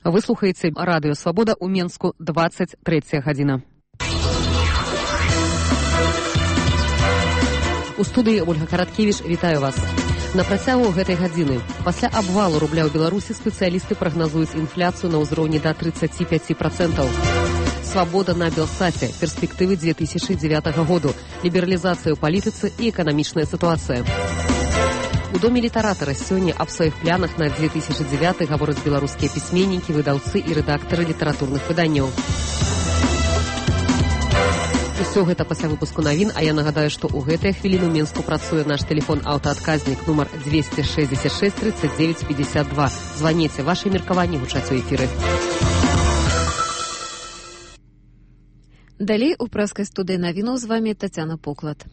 Вы слухаеце радыё Свабода ў Менску, 23 гадзіна. У студыі Ольга Караткевіч, вітаю вас. На працягу гэтай гадзіны. Пасля абвалу рубля ў Беларусі спецыялісты прагназуюць інфляцыю на ўзроўні да 35%. Свабода на Белсаце. Перспектывы 2009 году. Лібералізацыя ў палітыцы і эканамічная сітуацыя. У Доме літаратара сёння аб сваіх планах на 2009 гавораць беларускія пісьменнікі, выдаўцы і рэдактары літаратурных выданняў. Усё гэта пасля выпуску навін, а я нагадаю, што ў гэтыя хвіліны ў Менску працуе наш тэлефон аўтаадказнік нумар 266 39 52. Званіце, вашы меркаванні гучаць у эфіры. Далей у прэскай студыі навінаў з вамі Тацяна Поклад.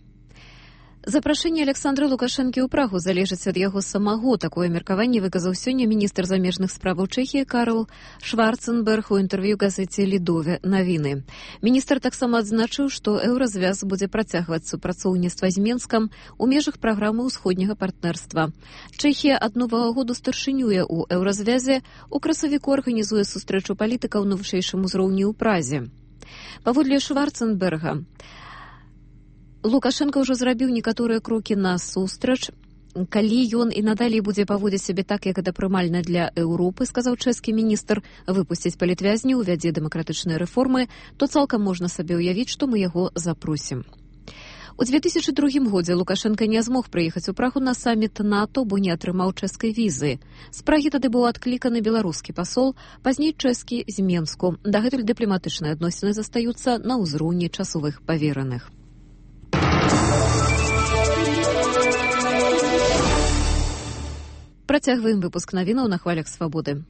Запрашэнне Александра Лукашэнкі ў Прагу залежыць ад яго самого. Такое меркаванне выказаў сёння міністр замежных справаў Чэхіі Карл Шварценберг у інтэрв'ю газеце «Лідове навіны». Міністр таксама адзначыў, што еўразвяз будзе працягваць супрацоўніцтва з Менскам у межах праграмы ўсходняга партнерства. Чэхія ад новага году старшынюе ў еўразвязе, у красавіку арганізуе сустрэчу палітыкаў на вышэйшым узроўні ў Празе. Паводле Шварценберга, Лукашенко ўжо зрабіў некаторыя крокі на сустрач. Калі ён і надалей будзе паводзіць сябе так, як гэта прымальна для Еўропы, сказаў чэшскі міністр, выпусціць палітвязняў, увядзе дэмакратычныя рэформы, то цалкам можна сабе ўявіць, што мы яго запросім. У 2002 годзе Лукашенко не змог прыехаць у Прагу на саміт НАТО, бо не атрымаў чэшскай візы. З Прагі тады быў адкліканы беларускі пасол, пазней чэшскі з Менску. Дагэтуль дыпламатычныя адносіны застаюцца на ўзроўні часовых павераных. Працягваем выпуск навінаў на хвалях свабоды.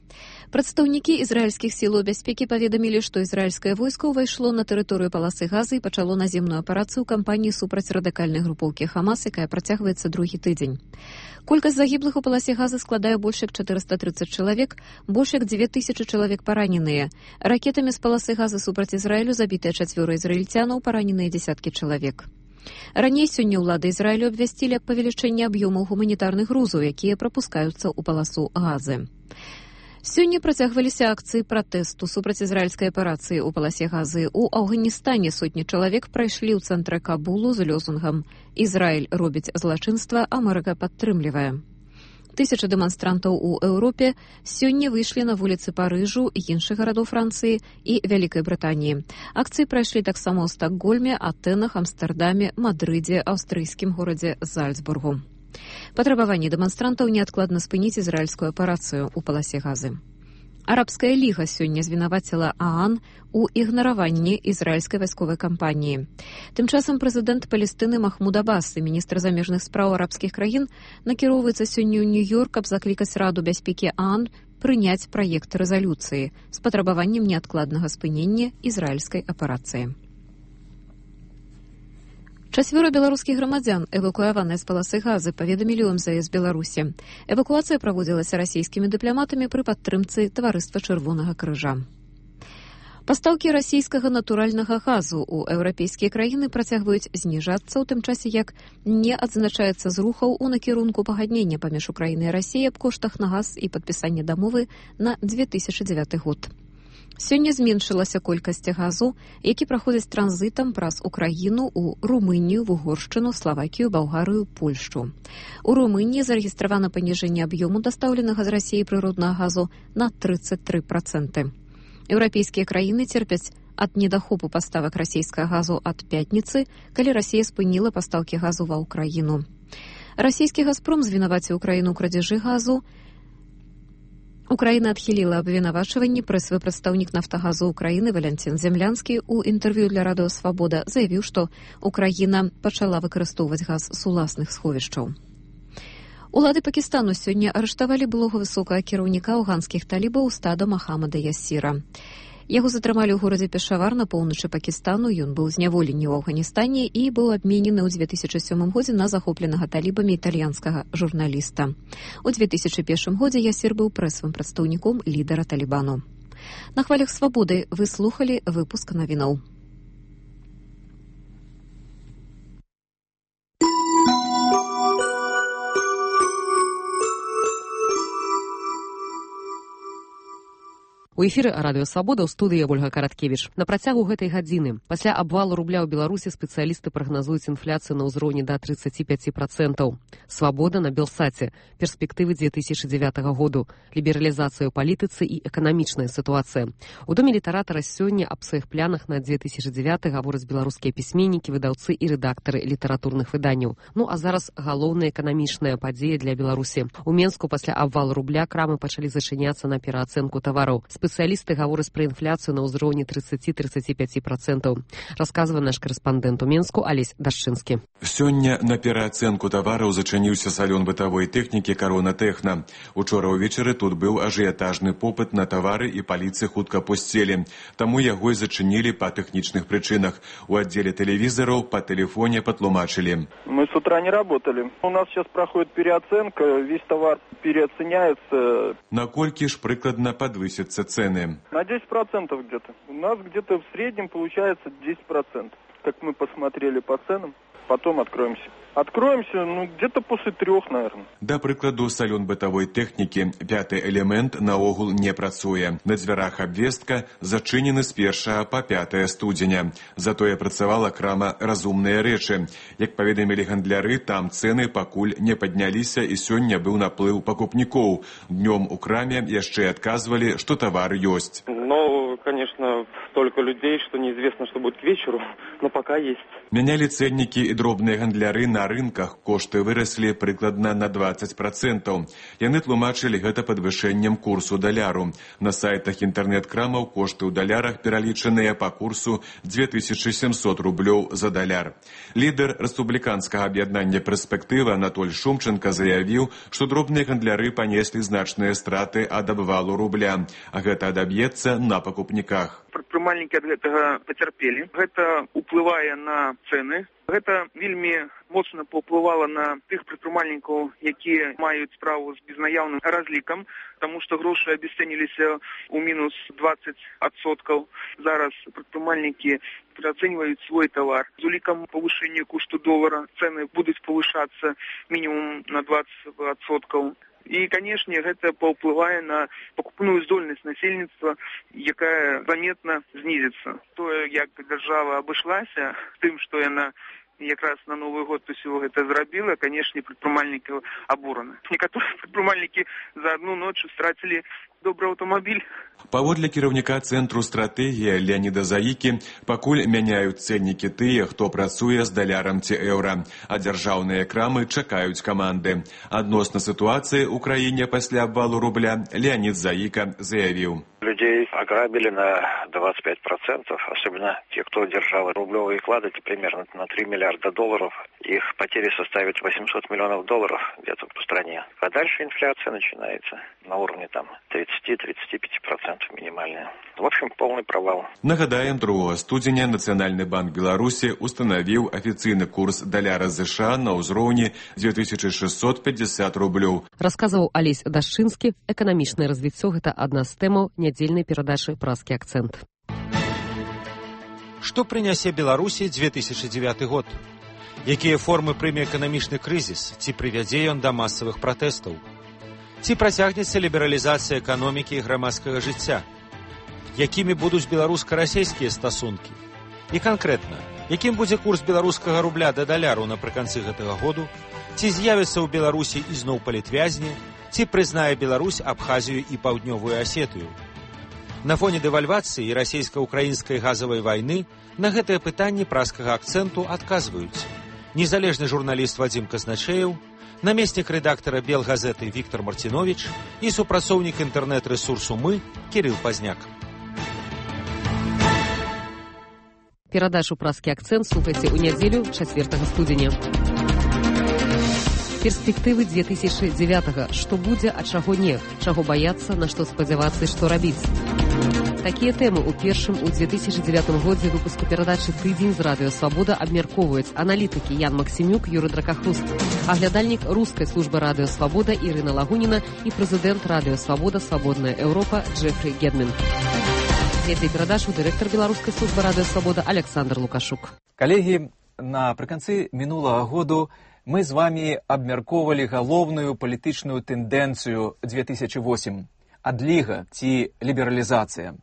Прадстаўнікі ізраільскіх сілаў бяспекі паведамілі, што ізраільскае войска ўвайшло на тэрыторыю паласы Газы і пачало наземную аперацыю кампаніі супраць радыкальнай групоўкі Хамас, якая працягваецца другі тыдзень. Колькасць загіблых у паласе Газы складае больш як 430 чалавек, больш як 2000 чалавек параненыя. Ракетамі з паласы Газы супраць Ізраілю забітыя 4 ізраільцянаў, параненыя дзесяткі чалавек. Раней сёння ўлады Ізраілю абвясцілі аб павелічэнні аб'ёмаў гуманітарных грузаў, якія прапускаюцца ў паласу Газы. Сёння працягваліся акцыі пратэсту супраць ізраільскай аперацыі ў паласе Газы. У Афганістане сотні чалавек прайшлі ў цэнтры Кабулу з лозунгам «Ізраіль робіць злачынства, Амерыка падтрымлівае». Тысячы дэманстрантаў у Еўропе сёння выйшлі на вуліцы Парыжу, іншых гарадоў Францыі і Вялікай Брытаніі. Акцыі прайшлі таксама ў Стакгольме, Атэнах, Амстэрдаме, Мадрыдзе, аўстрыйскім горадзе Зальцбургу. Патрабаванне дэманстрантаў неадкладна спыніць ізраільскую аперацыю ў паласе Газы. Арабская ліга сёння звінаваціла ААН у ігнараванні ізраільскай вайсковай кампаніі. Тым часам прэзідэнт Палестыны Махмуд Аббас і міністр замежных спраў арабскіх краін накіроўваецца сёння ў Нью-Йорк, каб заклікаць Раду бяспекі ААН прыняць праект рэзалюцыі з патрабаваннем неадкладнага спынення ізраільскай аперацыі. 4 беларускіх грамадзян, эвакуяваныя з паласы Газы, паведамілі ў МЗС Беларусі. Эвакуацыя праводзілася расійскімі дыпламатамі пры падтрымцы таварыства Чырвонага крыжа. Пастаўкі расійскага натуральнага газу ў еўрапейскія краіны працягваюць зніжацца, у тым часе як не адзначаецца зрухаў у накірунку пагаднення паміж Украінай і Расіяй аб коштах на газ і падпісання дамовы на 2009 год. Сёння зменшылася колькасць газу, які праходзіць транзітам праз Украіну ў Румынію, в Угоршчыну, Славакію, Балгарыю, Польшчу. У Румыніі зарэгістравана паніжэнне аб'ёму дастаўленага з Расіі прыроднага газу на 33%. Еўрапейскія краіны церпяць ад недахопу паставак расійскага газу ад пятніцы, калі Расія спыніла пастаўкі газу ва ўкраіну. Расійскі «Газпром» звінаваціў Украіну ў крадзяжы газу. Украіна адхіліла абвінавачванні. Прэсавы прадстаўнік «Нафтагазу» Украіны Валянцін Землянскі ў інтэрв'ю для радыё «Свабода» заявіў, што Украіна пачала выкарыстоўваць газ з уласных сховішчаў. Улады Пакістану сёння арыштавалі былога высокага кіраўніка афганскіх талібаў устада Махамада Ясіра. Яго затрымалі ў горадзе Пешавар на поўначы Пакістану. Ён быў зняволены ў Афганістане і быў абменены ў 2007 годзе на захопленага талібамі італьянскага журналіста. У 2001 годзе Ясір быў прэсавым прадстаўніком лідара Талібану. На хвалях свабоды вы слухалі выпуск навінаў. У эфіры радыё Свабода ў студыі Ольга Караткевіч. На працягу гэтай гадзіны пасля абвалу рубля ў Беларусі спецыялісты прагназуюць інфляцыю на ўзроўні да 35%. Свабода на Белсаце. Перспектывы 2009 году. Лібералізацыя ў палітыцы і эканамічная сітуацыя. У доме літаратара сёння аб сваіх планах на 2009 гавораць беларускія пісьменнікі, выдаўцы і рэдактары літаратурных выданняў. Ну а зараз галоўная эканамічная падзея для Беларусі. У Менску пасля абвалу рубля крамы пачалі зачыняцца на пераацэнку тавараў. Спецыялісты гавораць пра інфляцыю на ўзроўні 30-35%. Расказвае наш карэспандэнт у Менску Алесь Дашчынскі. Сёння на пераацэнку тавараў зачыніўся салон бытавой тэхнікі «Карона Тэхна». Учора ўвечары тут быў ажыятажны попыт на тавары і паліцы хутка пусцелі. Таму яго і зачынілі па тэхнічных прычынах. У аддзеле тэлевізараў па тэлефоне патлумачылі. Мы с утра не работали. У нас сейчас проходит переоценка, весь товар переоценяется. Наколькі ж прыкладна падвысяцца цены? На 10% где-то. У нас где-то в среднем получается 10%. Как мы посмотрели по ценам, потом откроемся. Откроемся, где-то после 3, наверное. Да прыкладу, салон бытавой тэхнікі, 5-й элемент наогул не працуе. На дзвярах абвестка зачынены з 1 па 5 студзеня. Затое працавала крама «Разумныя рэчы». Як паведамілі гандляры, там цэны пакуль не падняліся і сёння быў наплыў пакупнікоў. Днём у краме яшчэ адказвалі, што тавар ёсць. Конечно, столько людей, что неизвестно, что будет к вечеру, но пока есть. Мянялі цэннікі і дробныя гандляры на рынках. Кошты выраслі прыкладна на 20%. Яны тлумачылі гэта падвышэннем курсу даляру. На сайтах інтэрнэт-крамаў кошты ў далярах пералічаныя па курсу 2700 рублёў за даляр. Лідар рэспубліканскага аб'яднання «Перспектыва» Анатоль Шумченко заявіў, што дробныя гандляры панеслі значныя страты ад абвалу рубля, а гэта адаб'ецца на пакупніках. Прадпрымальнікі ад гэтага пацярпелі. Гэта ўплывае на цэны. Гэта вельмі моцна паўплывала на тых прадпрымальнікаў, якія маюць справу з безнаяўным разлікам, таму што грошы абясцэніліся ў мінус 20%. Зараз прадпрымальнікі пераацэньваюць свой тавар. З улікам павышэння кошту долара цэны будуць павышацца мінімум на 20%. І, канешне, гэта паўплывае на пакупную здольнасць насельніцтва, якая заметна знізіцца. Тое, як дзяржава абышлася тым, што яна якраз на Новы год усё гэта зрабіла, канешне, прадпрымальнікаў абураны. Некаторыя прадпрымальнікі за адну ноч страцілі добры аўтамабіль. Паводле кіраўніка цэнтру стратэгія Леаніда Заікі, пакуль мяняюць цэннікі тыя, хто працуе з далярам ці еўра, а дзяржаўныя крамы чакаюць каманды. Адносна сітуацыі ў краіне пасля абвалу рубля Леанід Заіка заявіў. Людей ограбили на 25%, особенно те, кто держал рублевые вклады, примерно на 3 миллиарда долларов. Их потери составят 800 миллионов долларов где-то по стране. А дальше инфляция начинается на уровне 30-35% минимальная. В общем, полный провал. Нагадаем, 2 студзеня Нацыянальны банк Беларусі устанавіў афіцыйны курс даляра США на ўзроўні 2650 рублёў. Расказваў Алесь Дашчынскі. Эканамічнае развіццё – гэта адна з тэмаў нядзельнай перадачы «Празкі акцэнт». Што прынясе Беларусі 2009 год? Якія формы прыме эканамічны крызіс? Ці прывядзе ён да масавых пратэстаў? Ці працягнецца лібералізацыя эканомікі і грамадскага жыцця? Якімі будуць беларуска-расейскія стасункі? І канкрэтна, якім будзе курс беларускага рубля да даляру напрыканцы гэтага году? Ці з'явіцца ў Беларусі ізноў палітвязні? Ці прызнае Беларусь Абхазію і Паўднёвую Асетыю? На фоне дэвальвацыі і расейска-украінскай газавай вайны на гэтыя пытанні празкага акцэнту адказваюць незалежны журналіст Вадзім Казначеев, намеснік рэдактара Белгазеты Віктор Мартинович і супрацоўнік інтэрнэт-рэсурсу «Мы» Кірыл Пазняк. Перадачу «Празкі акцэнт» слухайце ў нядзелю 4 студзеня. Перспектывы 2009. Што будзе, а чаго не? Чаго баяцца, на што спадзявацца і што рабіць? Такія тэмы ў першым у 2009 годзе выпуску перадачы «Тыдзень» з радыё «Свабода» абмяркоўваюць аналітыкі Ян Максімюк, Юрый Дракахруст, аглядальнік рускай службы радыё «Свабода» Ірына Лагуніна і прэзідэнт радыё «Свабода» «Свабодная Еўропа» Джефрі Гедмін. Вядзе перадачу дырэктар беларускай службы радыё «Свабода» Александр Лукашук. Калегі, напрыканцы мінулага году мы з вами абмяркоўвалі галоўную палітычную тэндэнцыю 2008. адліга ці лібералізацыя?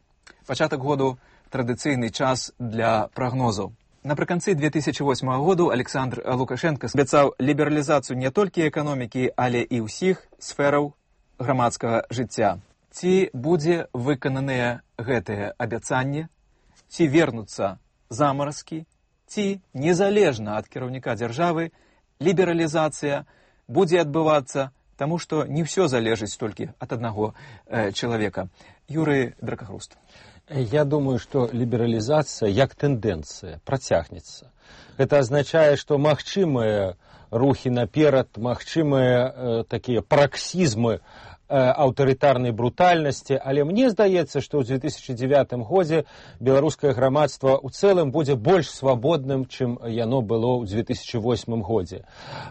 Пачатак году традыцыйны час для прагнозаў. Напрыканцы 2008 году Александр Лукашенко абяцаў лібералізацыю не толькі эканомікі, але і ўсіх сфераў грамадскага жыцця. Ці будзе выкананыя гэтыя абяцанні? Ці вернуцца замаразкі? Ці, незалежна ад кіраўніка дзяржавы, лібералізацыя будзе адбывацца, таму што не ўсё залежыць толькі ад аднаго чалавека. Юрый Дракахруст. Я думаю, что либерализация, як тенденция, протягнется. Это означает, что магчымыя рухи наперад, магчымыя такие праксізмы аўтарытарнай брутальнасці, але мне здаецца, што ў 2009 годзе беларускае грамадства ў цэлым будзе больш свабодным, чым яно было ў 2008 годзе.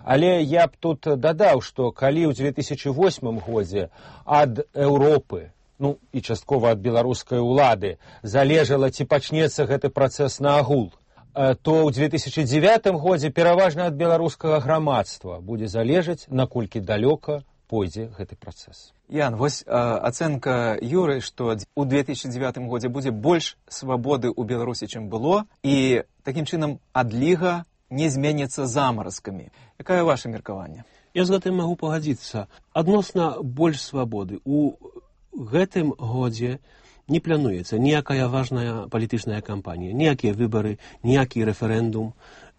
Але я б тут дадаў, што калі ў 2008 годзе ад Еўропы, ну і часткова ад беларускай улады, залежала, ці пачнецца гэты працэс наагул, то ў 2009 годзе пераважна ад беларускага грамадства будзе залежаць, наколькі далёка пойдзе гэты працэс. Ян, вось ацэнка Юры, што ў 2009 годзе будзе больш свабоды ў Беларусі, чым было, і такім чынам адліга не зменіцца замаразкамі. Якае ваша меркаванне? Я з гэтым магу пагадзіцца. Адносна больш свабоды. У гэтым годзе не плануецца ніякая важная палітычная кампанія, ніякія выбары, ніякі рэферэндум.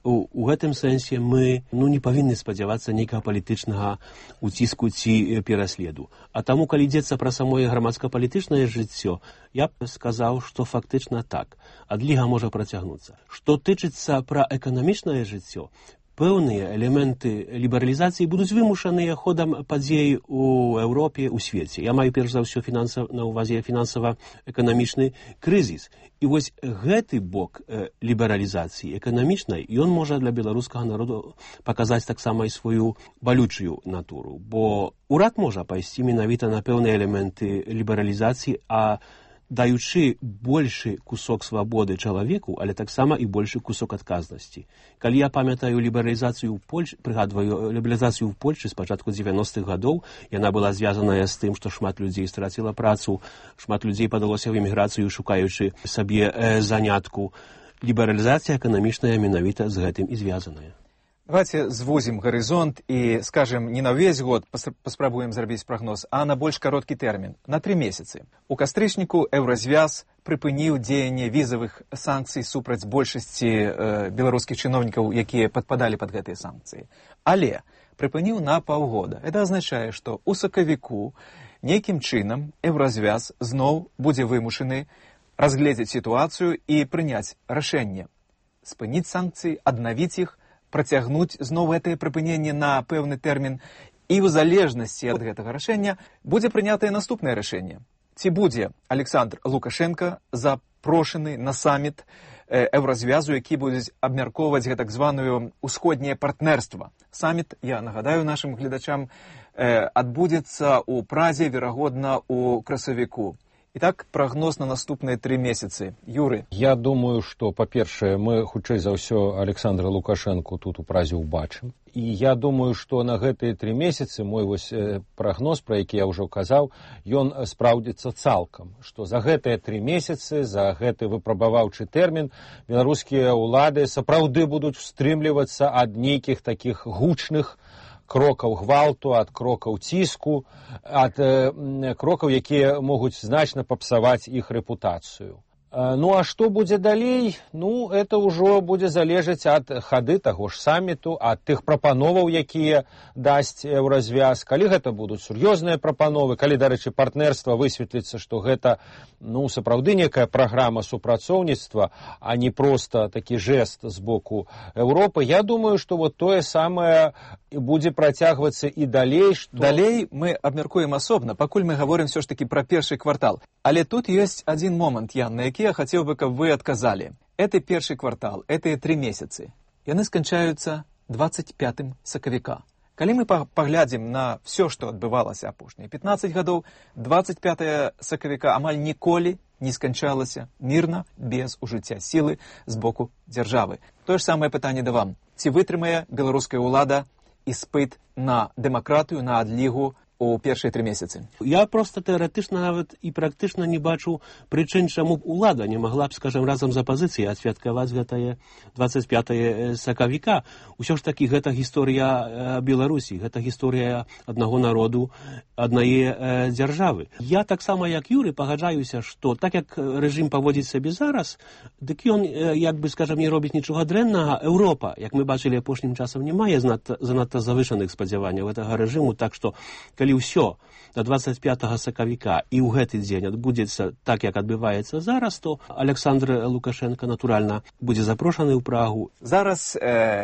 У гэтым сэнсе мы не павінны спадзявацца нейкага палітычнага уціску ці пераследу. А таму, калі ідзецца пра самое грамадска-палітычнае жыццё, я б сказаў, што фактычна так. Адліга можа працягнуцца. Што тычыцца пра эканамічнае жыццё, пэўныя элементы лібералізацыі будуць вымушаныя ходам падзей у Еўропе, у свеце. Я маю перш за ўсё на ўвазе фінансава-эканамічны крызіс. І вось гэты бок лібералізацыі эканамічнай, ён можа для беларускага народу паказаць таксама і сваю балючую натуру. Бо урад можа пайсці менавіта на пэўныя элементы лібералізацыі, а даючы большы кусок свабоды чалавеку, але таксама і большы кусок адказнасці. Калі я памятаю лібералізацыю ў Польшчы, прыгадваю лібералізацыю ў Польшчы з пачатку 90-х гадоў, яна была звязаная з тым, што шмат людзей страціла працу, шмат людзей падалося ў эміграцыю, шукаючы сабе занятку. Лібералізацыя эканамічная менавіта з гэтым і звязаная. Давайте звузім гарызонт і, скажем, не на ўвесь год паспрабуем зрабіць прагноз, а на больш кароткі тэрмін, на 3 месяцы. У кастрычніку Еўразвяз прыпыніў дзеянне візавых санкцый супраць большасці беларускіх чыноўнікаў, якія падпадалі пад гэтыя санкцыі. Але прыпыніў на паўгода. Это азначае, што ў сакавіку нейкім чынам Еўразвяз зноў будзе вымушаны разгледзець сітуацыю і прыняць рашэнне. Спыніць санкцыі, аднавіць іх, працягнуць зноў гэтае прыпыненне на пэўны тэрмін, і ў залежнасці ад гэтага рашэння будзе прынятае наступнае рашэнне. Ці будзе Александр Лукашенко запрошаны на саміт Еўразвязу, які будзе абмяркоўваць гэтак званую ўсходняе партнерства. Саміт, я нагадаю нашым гледачам, адбудзецца ў Празе, верагодна, у красавіку. Итак, прогноз на наступные 3 месяцы. Юры. Я думаю, что, по-першае, мы хутчэй за ўсё Александра Лукашенко тут у Празе ўбачым. І я думаю, што на гэтыя 3 месяцы мой вось прагноз, пра які я ўжо казаў, ён спраўдзіцца цалкам. Што за гэтыя 3 месяцы, за гэты выпрабаваўчы тэрмін, беларускія ўлады сапраўды будуць устрымлівацца ад нейкіх такіх гучных крокаў гвалту, ад крокаў ціску, ад крокаў, якія могуць значна папсаваць іх рэпутацыю. Ну, а што будзе далей? Ну, это ўжо будзе залежаць ад хады таго ж саміту, ад тых прапановаў, якія дасць Еўразвяз. Калі гэта будуць сур'ёзныя прапановы, калі, дарэчы, партнерства высветліцца, што гэта, ну, сапраўды некая праграма супрацоўніцтва, а не проста такі жэст з боку Еўропы, я думаю, што вот тое самае будзе працягвацца і далей. Што... Далей мы абмяркуем асобна, пакуль мы гаворым все ж таки пра першы квартал. Але тут ёсць адзін момант, Ян, на які я хотел бы, каб вы адказалі. Это першы квартал, это 3 месяцы. Яны сканчаюцца 25 сакавіка. Калі мы паглядзім на все, што адбывалася апошнія 15 гадоў, 25 сакавіка амаль ніколі не сканчалася мірна, без ужыцця сілы з боку дзяржавы. Тое ж самае пытанне да вам. Ці вытрымае беларуская ўлада іспыт на дэмакратыю, на адлігу у першыя 3 месяцы? Я просто тэарэтычна нават і практычна не бачу прычын, чаму б улада не магла б, скажем, разам з апазіцыяй адсвяткаваць гэтае 25 сакавіка. Усё ж такі гэта гісторыя Беларусі, гэта гісторыя аднаго народу, аднае дзяржавы. Я таксама, як Юры, пагаджаюся, што так як рэжым паводзіць сабе зараз, дык ён, як бы, скажем, не робіць нічога дрэннага. Еўропа, як мы бачылі апошнім часам, не мае занадта завышаных спадзяванняў гэтага рэжыму, так што, калі ўсё до 25 сакавіка і ў гэты дзень адбудзецца так, як адбываецца зараз, то Александр Лукашенко, натуральна, будзе запрошаны ў Прагу. Зараз,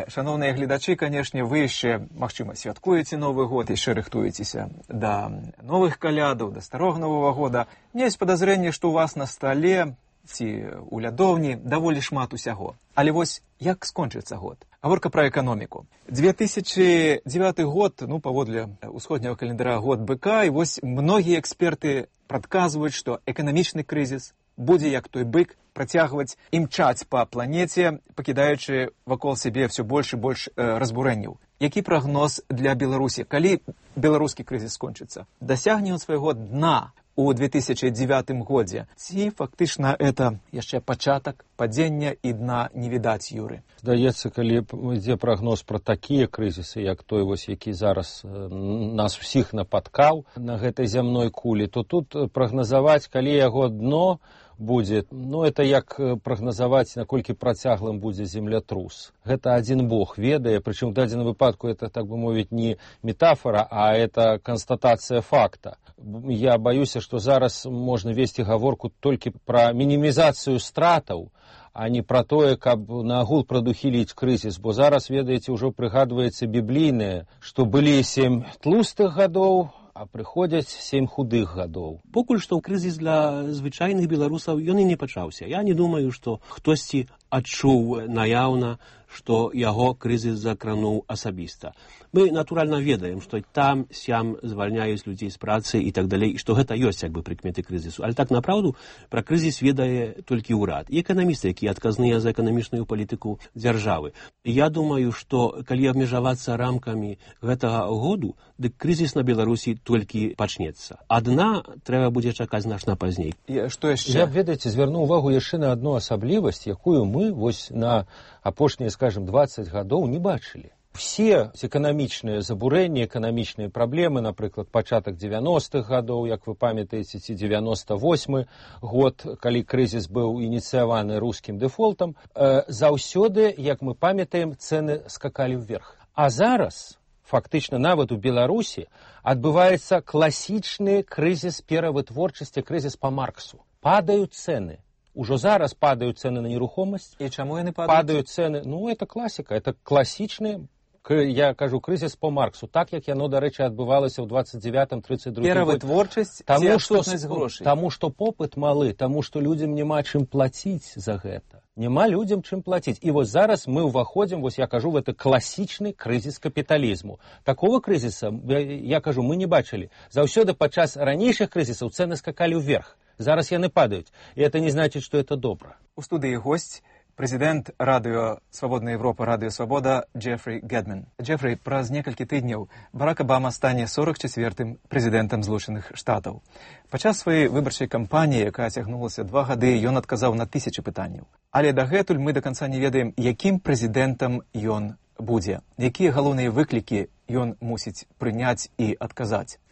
шановныя гледачы, канешне, вы яшчэ, магчыма, святкуеце Новы год, яшчэ рыхтуецеся да новых калядаў, да старога Новага года. Мне ёсць падазрэнне, што ў вас на стале ці ў лядоўні даволі шмат усяго. Але вось як скончыцца год? Гаворка пра эканоміку. 2009 год, паводле усходняга календара, год быка, і вось многія эксперты прадказваюць, што эканамічны крызіс будзе, як той бык, працягваць імчаць па планеце, пакідаючы вакол сябе ўсё больш і больш разбурэнняў. Які прагноз для Беларусі? Калі беларускі крызіс скончыцца? Дасягне ён свайго дна у 2009 годзе? Ці фактычна это яшчэ пачатак падзення і дна не відаць, Юры? Здаецца, калі ідзе прагноз пра такія крызісы, як той, які зараз нас усіх напаткаў на гэтай зямной кулі, то тут прагназаваць, калі яго дно будзе, это як прагназаваць, наколькі працяглым будзе землятрус. Гэта адзін Бог ведае, прычым у дадзеным выпадку это, так бы мовіць, не метафора, а это канстатацыя факта. Я баюся, што зараз можна весці гаворку толькі пра мінімізацыю стратаў, а не пра тое, каб наагул прадухіліць крызіс, бо зараз, ведаеце, ўжо прыгадваецца біблійнае, што былі 7 тлустых гадоў, а прыходзяць 7 худых гадоў. Покуль што крызіс для звычайных беларусаў ён і не пачаўся. Я не думаю, што хтосьці адчуў наяўна, што яго крызіс закрануў асабіста. Мы, натуральна, ведаем, што там, сям звальняюць людзей з працы і так далей, і што гэта ёсць, як бы, прыкметы крызісу. Але так, направду, пра крызіс ведае толькі ўрад. І эканамісты, якія адказныя за эканамічную палітыку дзяржавы. Я думаю, што калі абмежавацца рамкамі гэтага году, дык крызіс на Беларусі толькі пачнецца. Адна трэба будзе чакаць значна пазней. Што яшчэ? Я, ведаеце, звярну ўвагу яшчэ на адну асаблівасць, якую мы вось на апошнія, скажем, 20 гадоў не бачылі. Все эканамічныя забурэнні, эканамічныя праблемы, напрыклад, пачатак 90-х гадоў, як вы памятаеце, ці 98-й год, калі крызіс быў ініцыяваны рускім дэфолтам, заўсёды, як мы памятаем, цэны скакалі ўверх. А зараз, фактычна, нават у Беларусі адбываецца класічны крызіс перавытворчасці, крызіс па Марксу. Падаюць цэны. Ужо зараз падаюць цэны на нерухомасць. І чаму яны падаюць? Падаюць цэны. Это класіка, это класічны, я кажу, крызіс по Марксу, так як яно, дарэчы, адбывалася ў 29-32 перавытворчасць ці адсутнасць грошай? Таму што попыт малы, таму што людзям няма чым плаціць за гэта. Няма людзям чым плаціць. І вось зараз мы ўваходзім, вось я кажу, в это класічны крызіс капіталізму. Такого крызіса, я кажу, мы не бачылі. Заўсёды падчас ранейшых крызісаў цэны скакалі ўверх. Зараз яны падаюць. І это не значыць, што это добра. У студыі госць, прэзідэнт радыё «Свабодная Европа», радыё «Свабода» Джефрі Гэдмен. Джефрі, праз некалькі тыдняў Барак Абама стане 44-м прэзідэнтам Злучаных Штатаў. Падчас сваёй выбарчай кампаніі, якая цягнулася 2 гады, ён адказаў на 1000 пытанняў. Але дагэтуль мы да канца не ведаем, якім прэзідэнтам ён будзе, якія галоўныя выклікі ён мусіць прыняць і адказаць.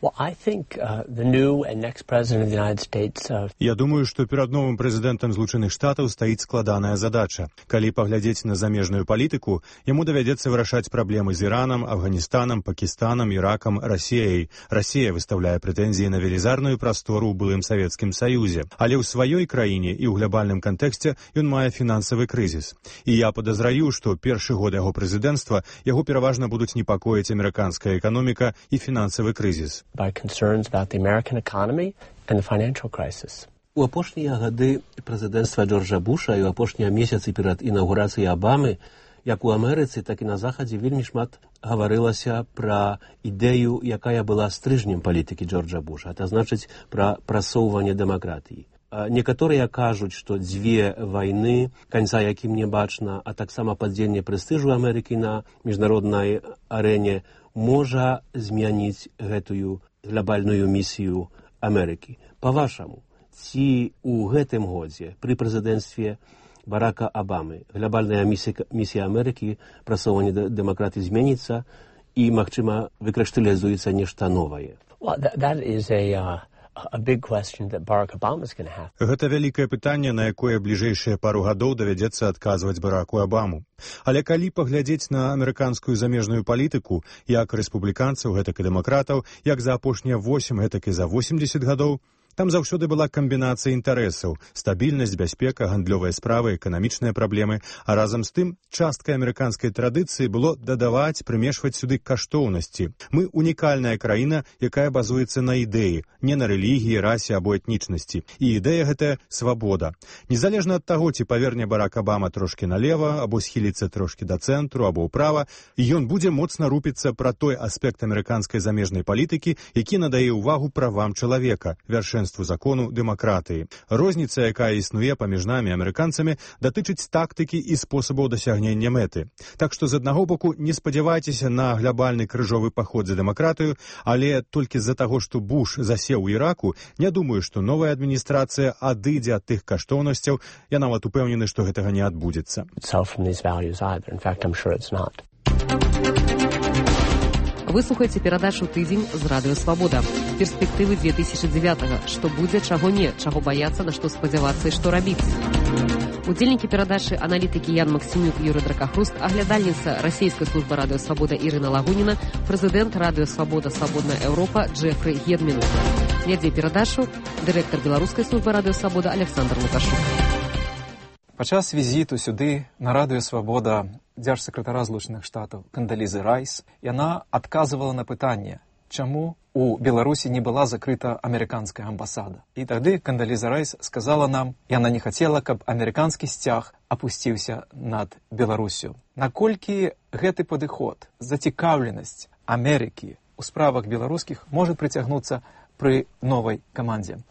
Я думаю, што перад новым прэзідэнтам Злучаных Штатаў стаіць складаная задача. Калі паглядзець на замежную палітыку, яму давядзецца вырашаць праблемы з Іранам, Афганістанам, Пакістанам, Іракам, Расіяй. Расія выстаўляе прэтэнзіі на велізарную прастору ў былым Савецкім Саюзе. Але ў сваёй краіне і ў глобальным кантэксце ён мае фінансавы крызіс. І я падазраю, што першы год яго прэзідэнцтва яго пераважна будуць непакоіць амерыканская эканоміка і фінансавы крызіс. У апошнія гады прэзідэнцтва Джорджа Буша і ў апошнія месяцы перад інаўгурацыяй Абамы, як у Амерыцы, так і на Захадзе вельмі шмат гаварылася пра ідэю, якая была стрыжнем палітыкі Джорджа Буша, это значыць пра прасоўванне дэмакратыі. Некаторыя кажуць, што 2 вайны, канца якім не бачна, а таксама падзенне прэстыжу Амерыкі на міжнароднай арэне можа змяніць гэтую глобальную місію Амерыкі. Па-вашаму, ці ў гэтым годзе пры прэзідэнцтве Барака Абамы глобальная місія Амерыкі, прасоўванне дэмакраты зменіцца і, магчыма, выкрышталізуецца нешта новае? Гэта вялікае пытанне, на якое бліжэйшыя пару гадоў давядзецца адказваць Бараку Абаму. Але калі паглядзець на амерыканскую замежную палітыку, як рэспубліканцаў, гэтак і дэмакратаў, як за апошнія 8, гэтак і за 80 гадоў, там заўсёды была камбінацыя інтарэсаў, стабільнасць, бяспека, гандлёвыя справы, эканамічныя праблемы, а разам з тым часткай амерыканскай традыцыі было дадаваць, прымешваць сюды каштоўнасці. Мы унікальная краіна, якая базуецца на ідэі, не на рэлігіі, расе або этнічнасці. І ідэя гэтая свабода. Незалежна ад таго, ці паверне Барак Абама трошкі налева, або схіліцца трошкі да цэнтру, або ўправа, ён будзе моцна рупіцца пра той аспект амерыканскай замежнай палітыкі, які надае ўвагу правам чалавека, вершэнству закону дэмакратыі. Розніца, якая існуе паміж намі, амерыканцамі, датычыць тактыкі і спосабаў дасягнення мэты. Так што, з аднаго боку, не спадзявайцеся на глобальны крыжовы паход за дэмакратыю, але толькі з-за таго, што Буш засеў у Іраку, не думаю, што новая адміністрацыя адыдзе ад тых каштоўнасцяў. Я нават упэўнены, што гэтага не адбудзецца. Вы слухаеце перадачу «Тыдзень» з радыё «Свабода». Перспектывы 2009-го. Што будзе, чаго не, чаго баяцца, на што спадзявацца і што рабіць. Удзельнікі перадачы аналітыкі Ян Максімюк, Юрый Дракахруст, аглядальніца расійскай службы радыё «Свабода» Ірына Лагуніна, прэзідэнт радыё «Свабода. Свабодная Еўропа» Джэфры Гедмін. Вядзе перадачу дырэктар беларускай службы радыё «Свабода» Александр Лукашук. Падчас візіту сюды на радыё «Свабода» дзяржсакратара Злучаных Штатаў Кандалізы Райс, яна адказвала на пытанне, чаму у Беларусі не была закрыта амерыканская амбасада. І тады Кандаліза Райс сказала нам, яна не хацела, каб амерыканскі сцяг апусціўся над Беларусю. Наколькі гэты падыход, зацікаўленасць Амерыкі ў справах беларускіх можа прыцягнуцца пры новай камандзе?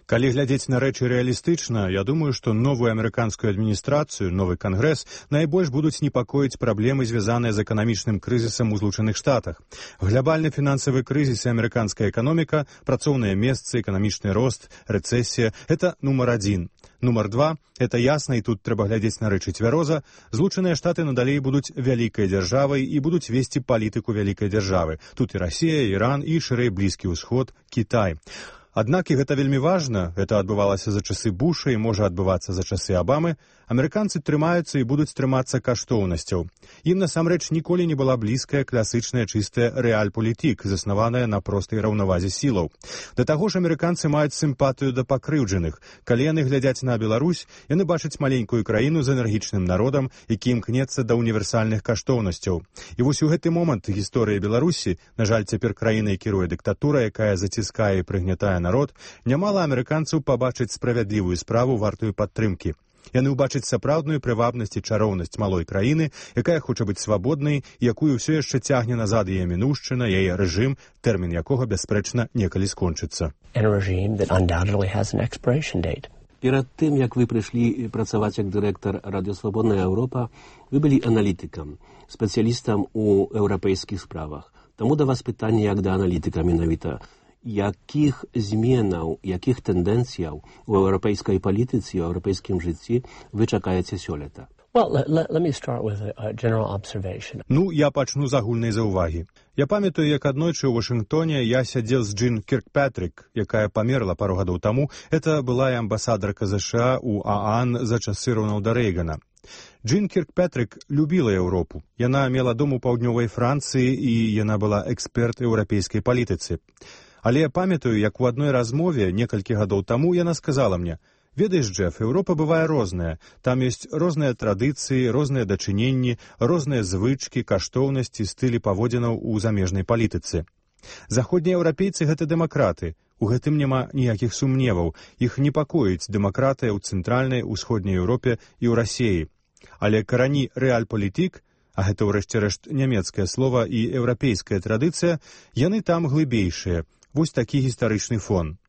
Калі глядзець на рэчы рэалістычна, я думаю, што новую амерыканскую адміністрацыю, новы кангрэс найбольш будуць непакоіць праблемы, звязаныя з эканамічным крызісам у Злучаных Штатах. Глобальны фінансавы крызіс і амерыканская эканоміка, працоўныя месцы, эканамічны рост, рэцэсія – гэта нумар 1. Нумар 2 – это ясна, і тут трэба глядзець на рэчы цвяроза. Злучаныя Штаты надалей будуць вялікай дзяржавай і будуць весці палітыку вялікай дзяржавы. Тут і Расія, Іран, і шырэй Блізкі ўсход, Кітай. Аднак, і гэта вельмі важна, гэта адбывалася за часы Буша і можа адбывацца за часы Абамы, амерыканцы трымаюцца і будуць трымацца каштоўнасцяў. Ім насамрэч ніколі не была блізкая класычная чыстая рэальпалітык, заснаваная на простай раўнавазе сілаў. Да таго ж амерыканцы маюць сімпатыю да пакрыўджаных. Калі яны глядзяць на Беларусь, яны бачаць маленькую краіну з энергічным народам, які імкнецца да універсальных каштоўнасцяў. І вось у гэты момант гісторыі Беларусі, на жаль, цяпер краінай кіруе дыктатура, якая заціскае і прыгнятае народ, нямала амерыканцаў пабачыць справядлівую справу вартую падтрымкі. Яны ўбачаць сапраўдную прывабнасць і чароўнасць малой краіны, якая хоча быць свабоднай, якую ўсё яшчэ цягне назад яе мінушчына, яе рэжым, тэрмін якога, бясспрэчна, некалі скончыцца. Перад тым, як вы прыйшлі працаваць як дырэктар радыё «Свабодная Еўропа», вы былі аналітыкам, спецыялістам у еўрапейскіх справах. Таму да вас пытанне як да аналітыка менавіта. Якіх зменаў, якіх тэндэнцыяў у еўрапейскай палітыцы, у еўрапейскім жыцці вы чакаеце сёлета? Я пачну з агульнай заўвагі. Я памятаю, як аднойчы ў Вашынгтоне я сядзеў з Джин Кіркпатрик, якая памерла пару гадоў таму. Это была і амбасадарка ЗША ў ААН за часы Роналда Рэйгана. Джин Кіркпатрик любіла Еўропу. Яна мела дом у паўднёвай Францыі і яна была эксперт еўрапейскай палітыцы. Але я памятаю, як у адной размове некалькі гадоў таму яна сказала мне: «Ведаеш, Джеф, Еўропа бывае розная. Там ёсць розныя традыцыі, розныя дачыненні, розныя звычкі, каштоўнасці, стылі паводзінаў у замежнай палітыцы. Заходнія еўрапейцы – гэта дэмакраты. У гэтым няма ніякіх сумневаў. Іх непакоіць дэмакратыя ў цэнтральнай, усходняй Еўропе і ў Расіі. Але карані рэальпалітык, а гэта ўрэшце рэшт нямецкае слова і еўрапейская традыцыя, яны там глыбейшыя. Вось такі гістарычны фон.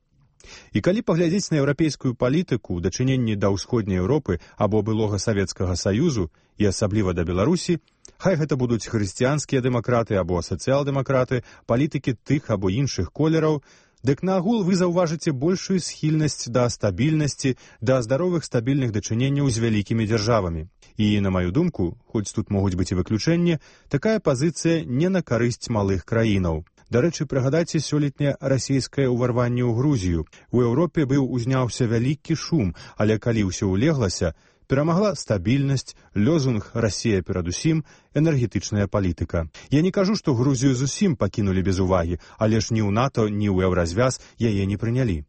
І калі паглядзець на еўрапейскую палітыку, дачыненні да ўсходняй Еўропы або былога Савецкага Саюзу, і асабліва да Беларусі, Хай гэта будуць хрысціянскія дэмакраты або сацыял-дэмакраты, палітыкі тых або іншых колераў, дык наагул вы заўважыце большую схільнасць да стабільнасці, да здаровых стабільных дачыненняў з вялікімі дзяржавамі. І, на маю думку, хоць тут могуць быць і выключэнні, такая пазіцыя не на карысць малых краінаў. Дарэчы, прыгадайце сёлетняе расійскае ўварванне ў Грузію. У Еўропе узняўся вялікі шум, але калі ўсё ўлеглася, перамагла стабільнасць, лозунг «Расія перадусім», энергетычная палітыка. Я не кажу, што Грузію зусім пакінулі без увагі, але ж ні ў НАТО, ні ў Еўразвяз яе не прынялі.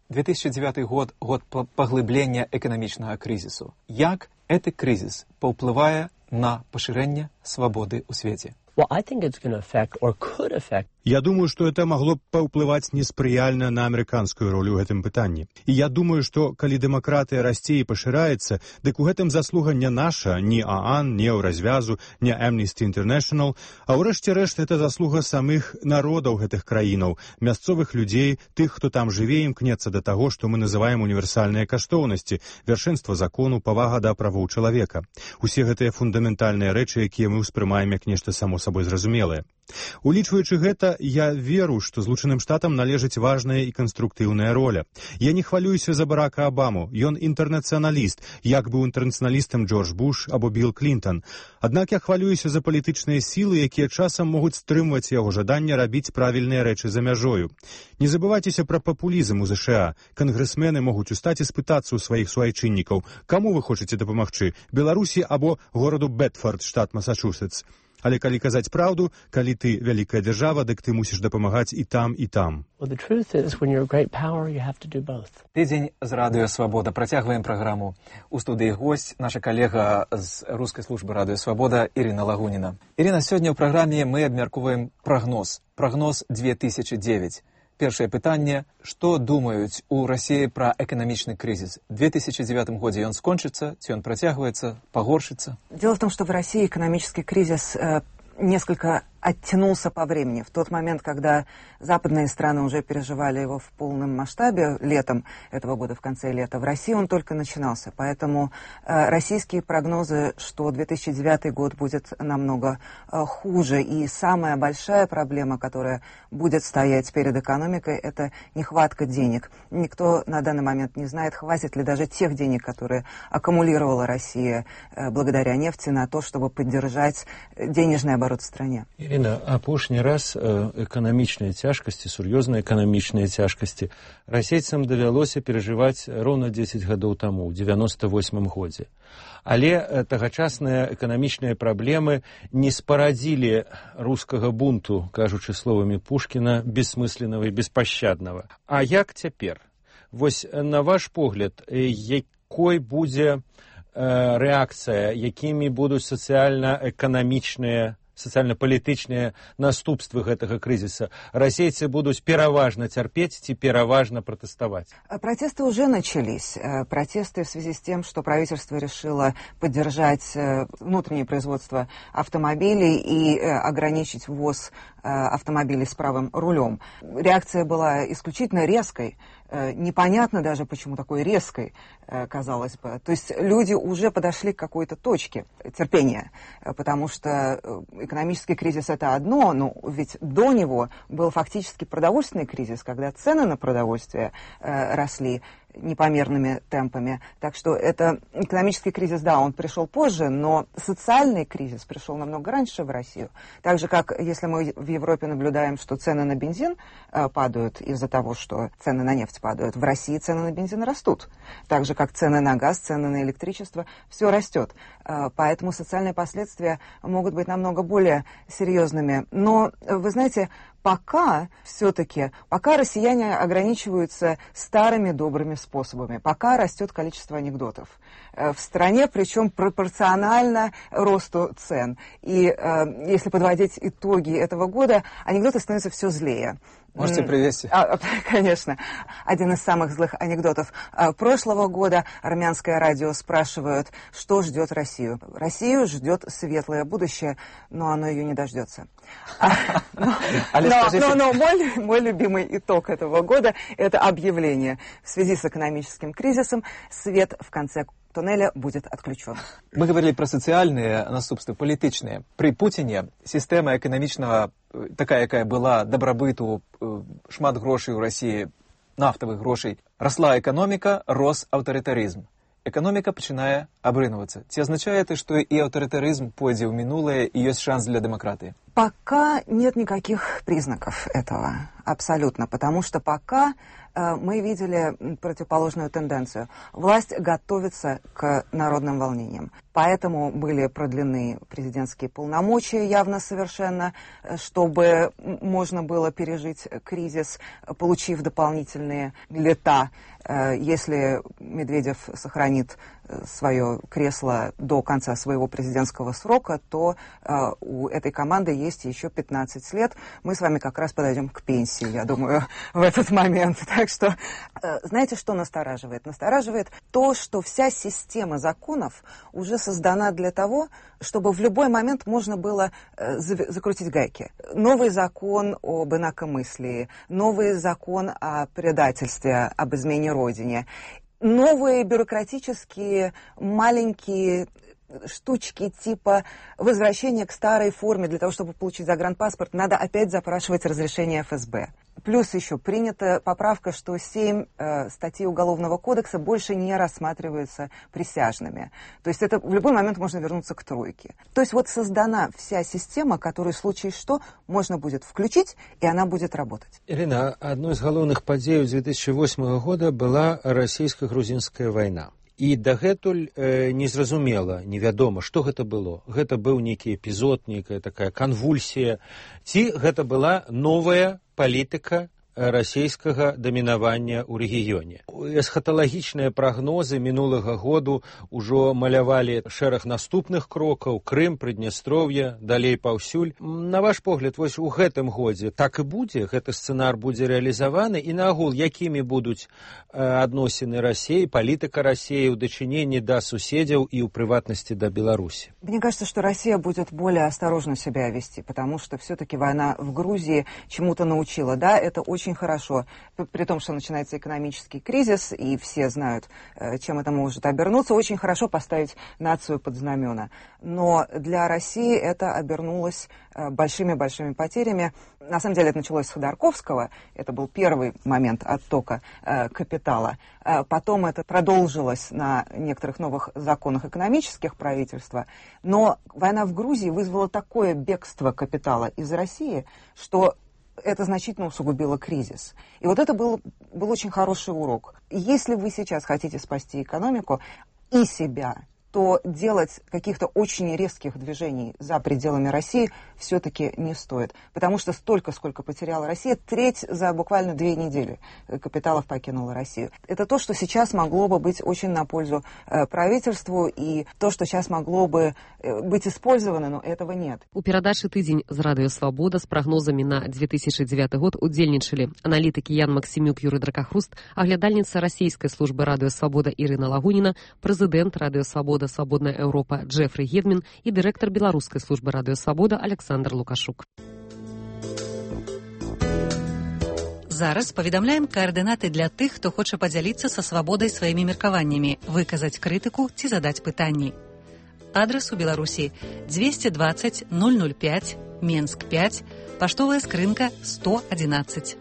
2009 год – год паглыблення эканамічнага крызісу. Як гэты крызіс паўплывае на пашырэнне свабоды ў свеце? Я думаю, што это магло б паўплываць неспрыяльна на амерыканскую ролю ў гэтым пытанні. І я думаю, што калі дэмакратыя расце і пашыраецца, дык у гэтым заслуга не наша, ні ААН, ні Еўразвязу, ні Amnesty International, а ўрэшце рэшт это заслуга самых народаў гэтых краінаў, мясцовых людзей, тых, хто там жыве, імкнецца да таго, што мы называем універсальныя каштоўнасці, вяршэнства закону, павага да правоў чалавека. Усе гэтыя фундаментальныя рэчы, якія мы ўспрымаем як нешта само сабой зразумелае. Улічваючы гэта, я веру, што Злучаным Штатам належыць важная і канструктыўная роля. Я не хвалююся за Барака Абаму, ён інтэрнацыяналіст, як быў інтэрнацыяналістам Джордж Буш або Білл Клінтон. Аднак я хвалююся за палітычныя сілы, якія часам могуць стрымваць яго жаданне рабіць правільныя рэчы за мяжою. Не забывайцеся пра папулізм у ЗША. Кангрэсмены могуць устаць і спытацца ў сваіх суайчыннікаў, каму вы хочаце дапамагчы, Беларусі або гораду Бэдфорд, штат Масачусетс. Але калі казаць праўду, калі ты вялікая дзяржава, дык ты мусіш дапамагаць і там, і там. Тыдзень з Радыё Свабода. Працягваем праграму. У студыі госць наша калега з рускай службы Радыё Свабода Ірына Лагуніна. Ірына, сёння ў праграме мы абмяркоўваем прагноз. Прагноз 2009. Першае пытанне, што думаюць у Расіі пра эканамічны крызіс? В 2009 годзе ён скончыцца, ці ён працягваецца, пагоршыцца? Дело в том, что в России экономический кризис несколько оттянулся по времени. В тот момент, когда западные страны уже переживали его в полном масштабе летом этого года, в конце лета, в России он только начинался. Поэтому российские прогнозы, что 2009 год будет намного хуже. И самая большая проблема, которая будет стоять перед экономикой, это нехватка денег. Никто на данный момент не знает, хватит ли даже тех денег, которые аккумулировала Россия благодаря нефти, на то, чтобы поддержать денежный оборот в стране. Ірына, апошні раз эканамічныя цяжкасці, сур'ёзныя эканамічныя цяжкасці расейцам давялося перажываць роўна 10 гадоў таму, ў 98 годзе. Але тагачасныя эканамічныя праблемы не спарадзілі рускага бунту, кажучы словамі Пушкіна, бессмысленнага і беспашчаднага. А як цяпер? Вось, на ваш погляд, якой будзе рэакцыя, якімі будуць сацыяльна-эканамічныя, сацыяльна-палітычныя наступствы гэтага крызіса? Расейцы будуць пераважна цярпець ці пераважна пратэставаць? Протесты уже начались. Протесты в связи с тем, что правительство решило поддержать внутреннее производство автомобилей и ограничить ввоз автомобилей с правым рулем. Реакция была исключительно резкой. Непонятно даже, почему такой резкой, казалось бы. То есть люди уже подошли к какой-то точке терпения, потому что экономический кризис – это одно, но ведь до него был фактически продовольственный кризис, когда цены на продовольствие росли непомерными темпами. Так что это экономический кризис, да, он пришел позже, но социальный кризис пришел намного раньше в Россию. Так же, как если мы в Европе наблюдаем, что цены на бензин падают из-за того, что цены на нефть падают, в России цены на бензин растут. Так же, как цены на газ, цены на электричество, все растет. Поэтому социальные последствия могут быть намного более серьезными. Но, вы знаете, пока россияне ограничиваются старыми добрыми способами, пока растет количество анекдотов в стране, причем пропорционально росту цен. И если подводить итоги этого года, анекдоты становятся все злее. Можете привести? Конечно. Один из самых злых анекдотов прошлого года. Армянское радио спрашивают, что ждет Россию. Россию ждет светлое будущее, но оно ее не дождется. Но мой любимый итог этого года – это объявление. В связи с экономическим кризисом свет в конце туннеля будет отключен. Мы говорили про социальные наступствы, політичные. При Путине система экономичного, такая, якая была, добробыту, шмат грошей у России, нафтовых грошей, росла экономика, рос авторитаризм. Экономика пачынае абрынываться. Ці означает, что и авторитаризм пойдет в минулое, и есть шанс для демократии? Пока нет никаких признаков этого, абсолютно, потому что пока мы видели противоположную тенденцию. Власть готовится к народным волнениям. Поэтому были продлены президентские полномочия явно совершенно, чтобы можно было пережить кризис, получив дополнительные лета. Если Медведев сохранит свое кресло до конца своего президентского срока, то у этой команды есть еще 15 лет. Мы с вами как раз подойдем к пенсии, я думаю, в этот момент. Так что, знаете, что настораживает? Настораживает то, что вся система законов уже создана для того, чтобы в любой момент можно было закрутить гайки. Новый закон об инакомыслии, новый закон о предательстве, об измене Родине, новые бюрократические маленькие штучки типа возвращения к старой форме. Для того, чтобы получить загранпаспорт, надо опять запрашивать разрешение ФСБ. Плюс еще принята поправка, что 7 статей Уголовного кодекса больше не рассматриваются присяжными. То есть это в любой момент можно вернуться к тройке. То есть вот создана вся система, которую в случае что можно будет включить, и она будет работать. Ирина, одной из главных подей 2008 года была российско-грузинская война. І дагэтуль незразумела, невядома, што гэта было. Гэта быў нейкі эпізод, нейкая такая канвульсія. Ці гэта была новая палітыка расійскага дамінавання ў рэгіёне. Эсхаталагічныя прагнозы мінулага году ўжо малявалі шэраг наступных крокаў: Крым, Прыднястроўе, далей паўсюль. На ваш погляд, вось у гэтым годзе так і будзе, гэты сцэнар будзе рэалізаваны, і наогул, якімі будуць адносіны Расіі, палітыка Расіі ў дачыненні да суседзяў і ў прыватнасці да Беларусі? Мне кажется, что Россия будет более осторожно себя вести, потому что все-таки война в Грузии чему-то научила. Да, это очень хорошо, при том, что начинается экономический кризис, и все знают, чем это может обернуться. Очень хорошо поставить нацию под знамена. Но для России это обернулось большими-большими потерями. На самом деле это началось с Ходорковского. Это был первый момент оттока капитала. Потом это продолжилось на некоторых новых законах экономических правительства. Но война в Грузии вызвала такое бегство капитала из России, что это значительно усугубило кризис. И вот это был очень хороший урок. Если вы сейчас хотите спасти экономику и себя, то делать каких-то очень резких движений за пределами России все-таки не стоит. Потому что столько, сколько потеряла Россия, треть за буквально 2 недели капиталов покинула Россию. Это то, что сейчас могло бы быть очень на пользу правительству, и то, что сейчас могло бы быть использовано, но этого нет. У перадачы «Тыдзень» з Радыё Свабода з прагнозамі на 2009 год удзельнічалі аналітыкі Ян Максімюк, Юрый Дракахруст, аглядальніца расійскай службы Радыё Свабода Ірына Лагуніна, прэзідэнт Радыё Свабода «Свободная Европа» Джефры Гедмін і дырэктар беларускай службы Радыё Свабода Александр Лукашук. Зараз паведамляем каардынаты для тых, хто хоча падзяліцца са свабодай сваімі меркаваннямі, выказаць крытыку ці задаць пытанні. Адрес у Беларусі 220 005, Менск 5, паштовая скрынка 111.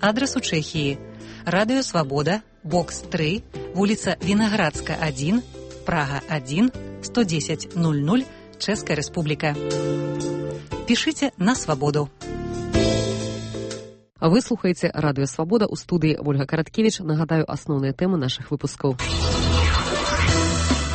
Адрес у Чэхіі: Радыё Свабода, бокс 3, вуліца Вінаградска 1, Прага 1, 110 00, Чэшская Рэспубліка. Пішыце на свабоду. Вы слухаеце Радыё Свабода, у студыі Ольга Караткевіч. Нагадаю асноўныя тэмы нашых выпускаў.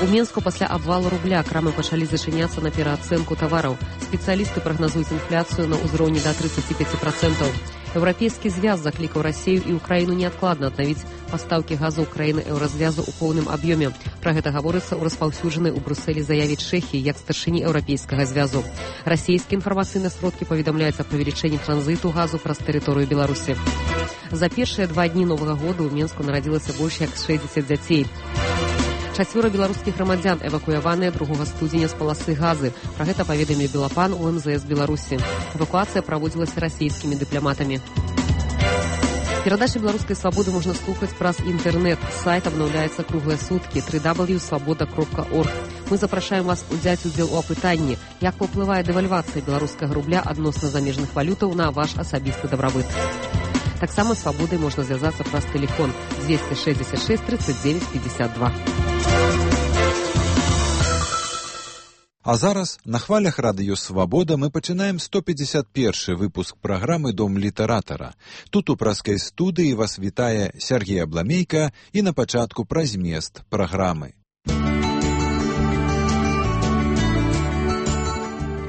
У Менску пасля абвалу рубля крамы пачалі зачыняцца на пераацэнку тавараў. Спецыялісты прагназуюць інфляцыю на ўзроўні да 35%. Еўрапейскі звяз заклікаў Расію і Украіну неадкладна аднавіць пастаўкі газу краіны еўразвязу ў поўным аб'ёме. Пра гэта гаворыцца ў распаўсюджанай у Брусэлі заяве Чэхіі як старшыні еўрапейскага звязу. Расійскія інфармацыйныя сродкі паведамляюць аб павелічэнні транзіту газу праз тэрыторыю Беларусі. За першыя 2 дні новага года ў Менску нарадзілася больш як 60 дзяцей. 4 беларускіх грамадзян эвакуяваныя 2 студзеня з паласы газы. Пра гэта паведаміў Белапан у МЗС Беларусі. Эвакуацыя праводзілася расійскімі дыпламатамі. Перадачы беларускай свабоды можна слухаць праз інтэрнэт. Сайт абнаўляецца круглыя суткі www.swaboda.org. Мы запрашаем вас узяць удзел у апытанні, як паўплывае дэвальвацыя беларускага рубля адносна замежных валютаў на ваш асабісты дабрабыт. Таксама свабодай можна звязацца праз тэлефон 266 39 52. А зараз на хвалях радыё «Свабода» мы пачынаем 151 выпуск праграмы «Дом літаратара». Тут у праскай студыі вас вітае Сергей Абламейка і на пачатку пра змест праграмы.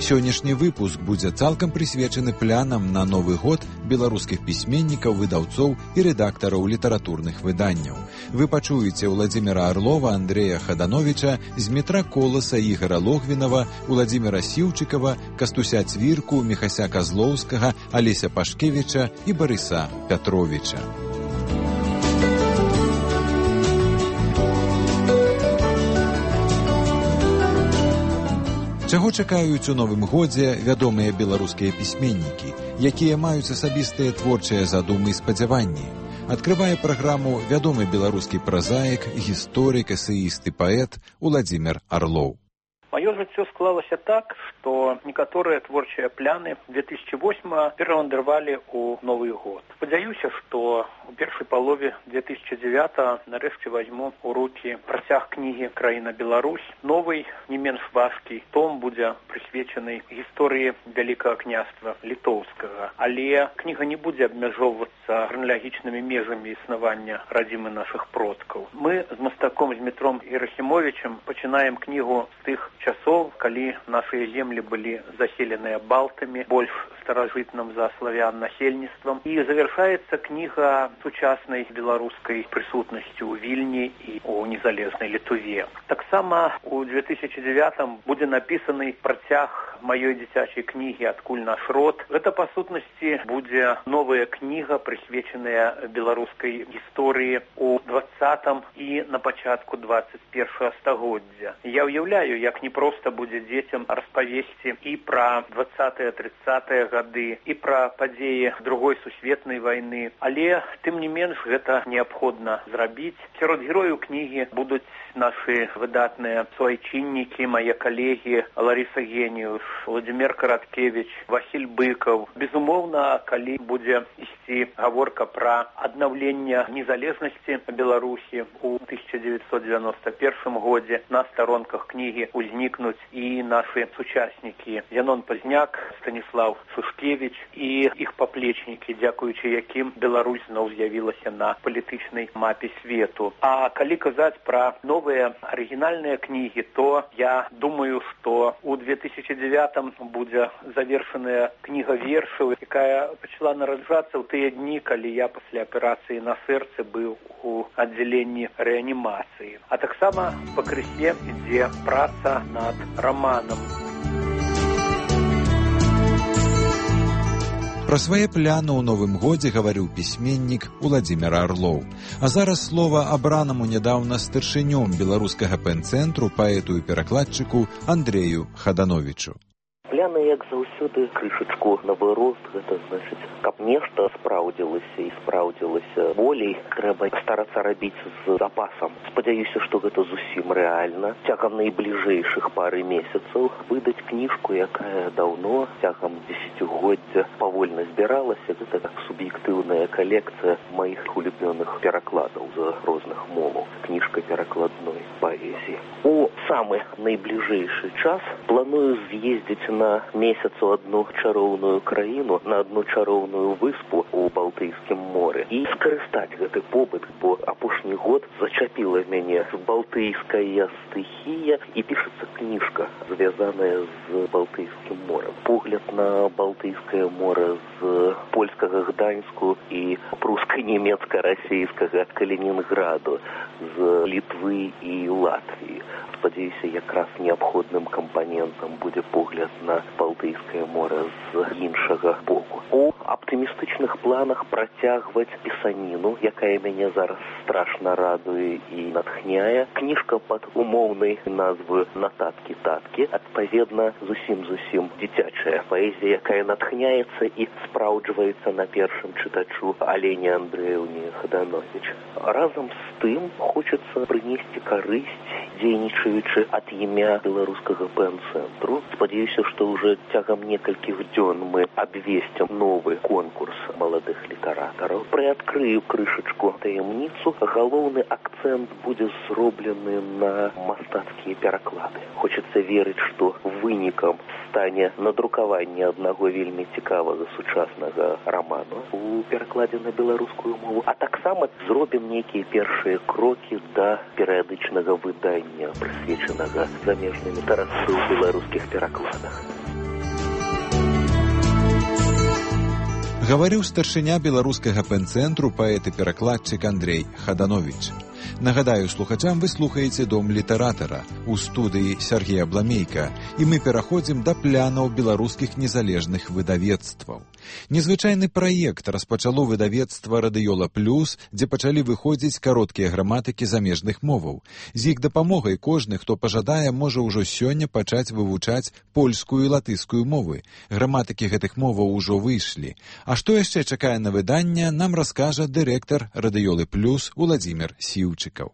Сённяшні выпуск будзе цалкам прысвечаны планам на Новы год беларускіх пісьменнікаў, выдаўцоў і рэдактараў літаратурных выданняў. Вы пачуеце Владзіміра Арлова, Андрэя Хадановіча, Змітра Коласа, Ігара Логвінава, Владзіміра Сіўчыкава, Кастуся Цвірку, Міхася Казлоўскага, Алеся Пашкевіча і Барыса Пятровіча. Чаго чакаюць у новым годзе вядомыя беларускія пісьменнікі, якія маюць асабістыя творчыя задумы і спадзяванні? Адкрывае праграму вядомы беларускі празаік, гісторык, эсеіст і паэт Владзімір Арлоў. Маё жыццё склалася так, што некаторыя творчыя пляны 2008 перавандравалі ў Новы год. Спадзяюся, што у першай палове 2009 нарэшце вазьму ў рукі працяг кнігі «Краіна Беларусь». Новый, не менш важкі том будзе прысвечаны гісторыі Вялікага княства літоўскага. Але кніга не будзе абмяжоўвацца храналагічнымі межамі існавання радзімы нашых продкаў. Мы з мастаком Змітром Герасімовічам пачынаем кнігу з тых часоў, калі нашыя землі былі заселеныя балтамі, больш старажытным за славян насельніцтвам. І завяршаецца кніга сучаснай беларускай прысутнасцю ў Вільні і ў незалежнай Літве. Таксама у 2009 будзе напісаны працяг маёй дзіцячай кнігі «Адкуль наш род». Гэта, па сутнасці, будзе новая кніга, прысвечаная беларускай гісторыі ў 20-м і на пачатку 21-го стагоддзя. Я ўяўляю, як непроста будзе дзецям распавесці і пра 20-30-е гады, і пра падзеі Другой сусветнай вайны. Але, тым не менш, гэта неабходна зрабіць. Сярод герояў кнігі будуць нашы выдатныя суайчыннікі, мае калегі Ларыса Геніус, Владзімір Караткевіч, Васіль Быкаў. Безумоўна, калі будзе ісці гаворка пра аднаўленне незалежнасці Беларусі ў 1991 годзе, на старонках кнігі узнікнуць і нашы сучаснікі Янон Пазняк, Станіслав Сушкевіч і іх паплечнікі, дзякуючы якім Беларусь зноў з'явілася на палітычнай мапе свету. А калі казаць пра новыя арыгінальныя кнігі, то я думаю, што ў 2009 будзе завершаная кніга вершаў, якая пачала нараджацца ў тыя дні, калі я пасля аперацыі на сэрцы быў у аддзяленні рэанімацыі. А таксама па крысе ідзе праца над раманам. Пра свае пляны ў новым годзе гаварыў пісьменнік Владзімір Арлоў. А зараз слова абранаму нядаўна старшынём беларускага пэн-цэнтру, паэту і перакладчыку Андрэю Хадановічу. Пляны, як заўсёды, крышачку наоборот, гэта значыць, каб нешта спраўдзілася і спраўдзілася болей, трэба старацца рабіць з запасам. Спадзяюся, што гэта зусім рэальна. Цягам найбліжэйшых пары месяцаў выдаць кніжку, якая даўно, цягам дзесяцігоддзя павольна збіралася. Гэта так суб'ектыўная калекцыя маіх улюбёных перакладаў з розных моваў. Кніжка перакладной паэзіі. У самы найбліжэйшы час планую з'ездзіць на месяц у одну чароўную краіну, на одну чароўную выспу ў Балтыйскім моры і скарыстаць гэты побыт, бо апошні год зачапіла мяне балтыйская стыхія і пішацца кніжка, звязаная з Балтыйскім морем. Погляд на Балтыйскае море з польскага Гданьску і пруска-нямецка-расійскага Калінінграду, з Літвы і Латвіі. Спадзяюся, якраз неабходным кампанентам будзе погляд на Балтыйскае мора з іншага боку. У аптымістычных планах працягваць пісаніну, якая мяне зараз страшна радуе і натхняе. Кніжка пад умоўнай назвы «Нататкі-таткі», адпаведна, зусім дзіцячая паэзія, якая натхняецца і спраўджваецца на першым чытачу Алене Андрэўне Хаданович. Разам з тым хочацца прынесці карысць, дзейнічаючы ад імя беларускага пэн-цэнтру. Спадзяюся, што ўжо цягам некалькіх дзён мы абвесцім новы конкурс маладых літаратараў. Прыадкрыю крышачку таямніцу. Галоўны акцэнт будзе зроблены на мастацкія пераклады. Хочацца верыць, што вынікам стане надрукаванне аднаго вельмі цікавага сучаснага раману у перакладзе на беларускую мову, а таксама зробім нейкія першыя крокі да перыядычнага выдання, прысвечанага замежнай літаратуры ў беларускіх перакладах. Гаварыў старшыня беларускага пэн-цэнтру паэт і перакладчык Андрей Хаданович. Нагадаю слухачам, вы слухаеце «Дом літаратара» у студыі Сергея Бламейка, і мы пераходзім да планаў беларускіх незалежных выдавецтваў. Незвычайны праект распачало выдавецтва «Радыёла Плюс», дзе пачалі выходзіць кароткія граматыкі замежных моваў. З іх дапамогай кожны, хто пажадае, можа ўжо сёння пачаць вывучаць польскую і латышскую мовы. Граматыкі гэтых моваў ужо выйшлі. А што яшчэ чакае на выданне, нам раскажа дырэктар «Радыёлы Плюс» Уладзімір Сіўчыкаў.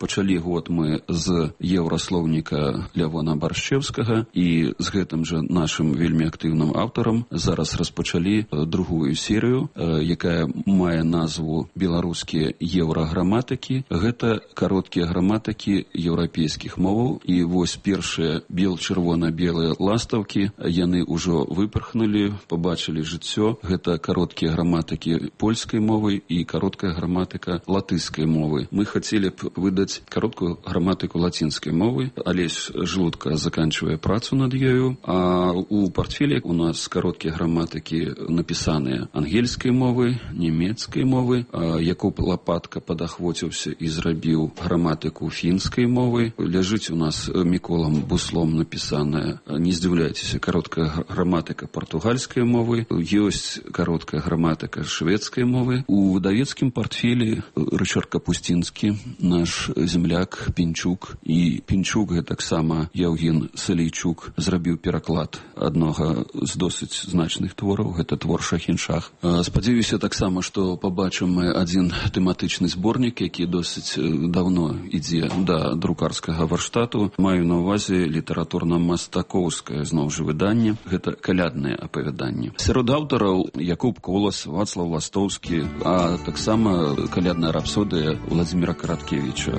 Пачалі год мы з еўраслоўніка Лявона Баршчэўскага і з гэтым жа нашым вельмі актыўным аўтарам зараз распачалі другую серыю, якая мае назву «Беларускія еўраграматыкі». Гэта кароткія граматыкі еўрапейскіх моваў. І вось першыя бел-чырвона-белыя ластаўкі, яны ўжо выпархнулі, пабачылі жыццё. Гэта кароткія граматыкі польскай мовы і кароткая граматыка латышскай мовы. Мы хацелі б выдаць кароткую граматыку лацінскай мовы. Алесь Жлудка заканчивае працу над ёю, а у партфеле у нас кароткія граматыкі напісаныя ангельскай мовы, нямецкай мовы. Якуб Лапатка падахвоціўся і зрабіў граматыку фінскай мовы. Ляжыць у нас Міколам Буслом напісаная, не здзіўляйцеся, кароткая граматыка партугальскай мовы. Ёсць кароткая граматыка шведскай мовы. У выдавецкім партфелі Рычард Капустінскі, наш земляк Пінчук, і Пінчук гэтаксама Яўген Салейчук зрабіў пераклад аднога з досыць значных твораў, гэта твор Шахіншах. Спадзяюся таксама, што пабачым мы адзін тэматычны зборнік, які досыць даўно ідзе да друкарскага варштату. Маю на ўвазе літаратурна-мастакоўскае зноў жа выданне, гэта калядныя апавяданні. Сярод аўтараў Якуб Колас, Вацлаў Ластоўскі, а таксама калядная рапсодыя Уладзіміра Караткевіча.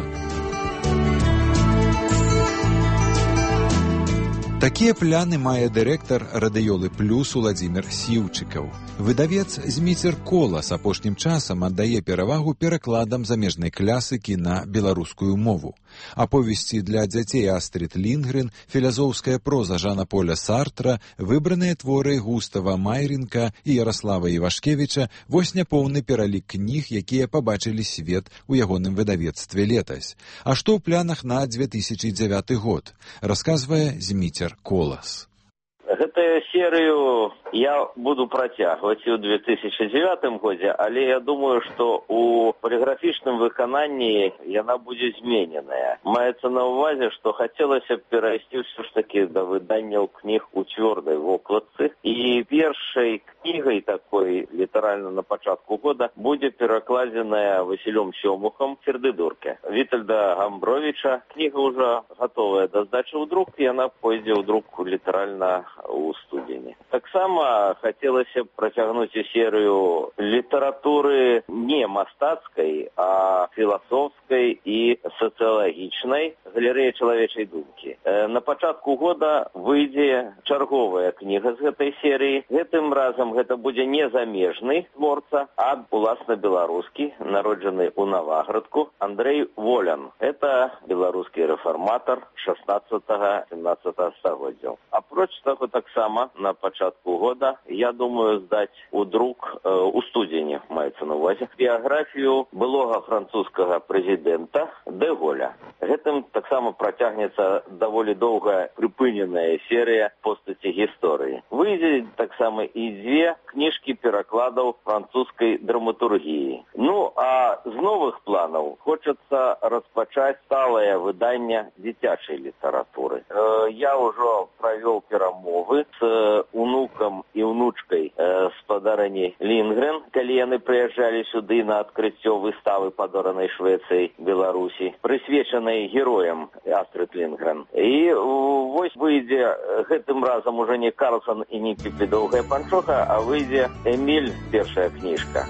Такія пляны мае дырэктар «Радыёлы Плюс» Уладзімір Сіўчыкаў. Выдавец Зміцер Колас апошнім часам аддае перавагу перакладам замежнай класыкі на беларускую мову. Аповесці для дзяцей Астрид Лінгрен, філазофская проза Жана-Поля Сартра, выбраныя творы Густава Майрінка і Ярослава Івашкевіча – вось няпоўны пералік кніг, якія пабачылі свет у ягоным выдавецтве летась. А што ў планах на 2009 год? Расказвае Зміцер Колас. Гэтую серыю я буду працягваць і ў 2009 годзе, але я думаю, што у поліграфічным выкананні яна будзе змененая. Маецца на ўвазе, што хацелася б перайсці ўсё ж такі да выданняў кніг у цвёрдай вокладцы. І першай кнігай такой, літаральна на пачатку года, будзе перакладзеная Васілём Сёмухам «Сердыдурке» Вітальда Гамбровіча. Кніга ўжо гатовая да здачы ў друк, і яна пойдзе ў друк літаральна у студзені. Таксама хацелася б працягнуць і серыю літаратуры не мастацкай, а філасофскай і сацыялагічнай, галерэя чалавечай думкі. На пачатку года выйдзе чарговая кніга з гэтай серыі. Гэтым разам гэта будзе не замежны творца, а уласна беларускі, народжаны ў Наваградку, Андрей Волян. Это беларускі рэфарматар 16-17 стагоддзяў. Апроч таго, таксама на пачатку года я думаю здаць у друк у студзені, маецца на увазе, біяграфію былога французскага прэзідэнта Дэ Голля. Гэтым таксама працягнецца даволі доўгая прыпыненая серыя постаці гісторыі. Выйдзе таксама і дзве кніжкі перакладаў французскай драматургіі. Ну, а з новых планаў хочацца распачаць сталае выданне дзіцячай літаратуры. Я ўжо правёў перамовы з унукам і унучкай спадарыні Лінгрен, калі яны прыязджалі сюды на адкрыццё выставы падоранай Швецыяй Беларусі, прысвечанай героям Астрид Лінгрен. І вось выйдзе гэтым разам уже не Карлсон і не Піпі Доўгая панчоха, а выйдзе Эміль, першая кніжка.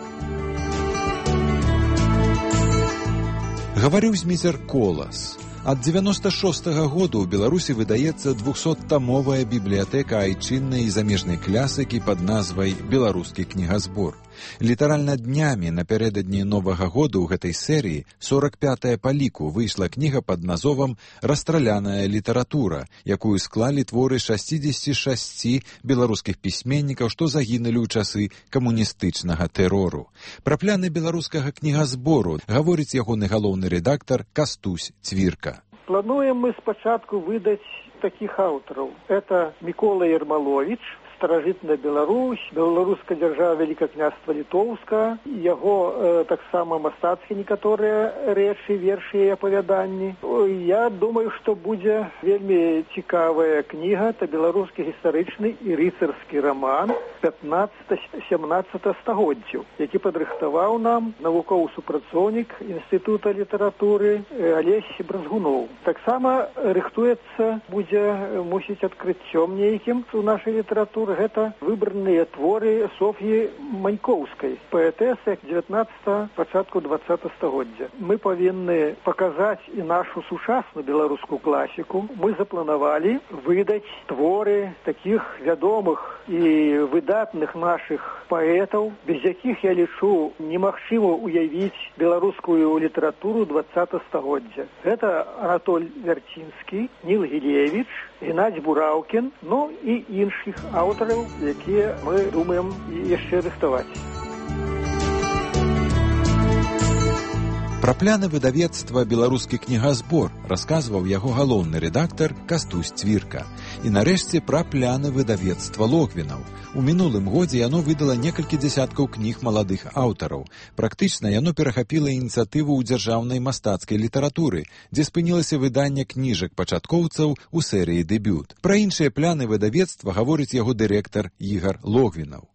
Гаварыў зміцер Колас. Ад 96-го году ў Беларусі выдаецца 200-тамовая бібліятэка айчыннай і замежнай клясыкі пад назвай «Беларускі кнігазбор». Літаральна днямі напярэдадні Новага году ў гэтай серыі, 45-я па ліку, выйшла кніга пад назовам «Расстраляная літаратура», якую склалі творы 66 беларускіх пісьменнікаў, што загінулі ў часы камуністычнага тэрору. Пра пляны беларускага кнігазбору гаворыць ягоны галоўны рэдактар Кастусь Цвірка. Плануем мы спачатку выдаць такіх аўтараў. Это Мікола Ермаловіч, старажытная Беларусь, беларуская дзяржава, Вялікае княства Літоўска, яго таксама мастацкія некаторыя рэчы, вершы і апавяданні. Я думаю, што будзе вельмі цікавая кніга, это беларускі гістарычны і рыцарскі раман 15-17 стагоддзяў, які падрыхтаваў нам навуковы супрацоўнік Інстытута літаратуры Алесь Бразгуноў. Таксама рыхтуецца, будзе, мусіць, адкрыццём нейкім у нашай літаратуры. Гэта выбраныя творы Соф'і Манькоўскай, паэтэсы 19-го, пачатку 20-го стагоддзя. Мы павінны паказаць і нашу сучасную беларускую класіку. Мы запланавалі выдаць творы такіх вядомых і выдатных нашых паэтаў, без якіх, я лічу, немагчыма уявіць беларускую літаратуру 20-го стагоддзя. Гэта Анатоль Вярцінскі, Ніл Гілевіч, Геннадзь Бураўкін, ну і іншых аўтараў, якія мы думаем яшчэ рыхтаваць. Пра пляны выдавецтва «Беларускі кнігазбор» расказваў яго галоўны рэдактар Кастусь Цвірка. І нарэшце пра пляны выдавецтва Логвінаў. У мінулым годзе яно выдала некалькі дзясяткаў кніг маладых аўтараў. Практычна яно перахапіла ініцыятыву ў дзяржаўнай мастацкай літаратуры, дзе спынілася выданне кніжак пачаткоўцаў у серыі «Дэбют». Пра іншыя пляны выдавецтва гаворыць яго дырэктар Ігар Логвінаў.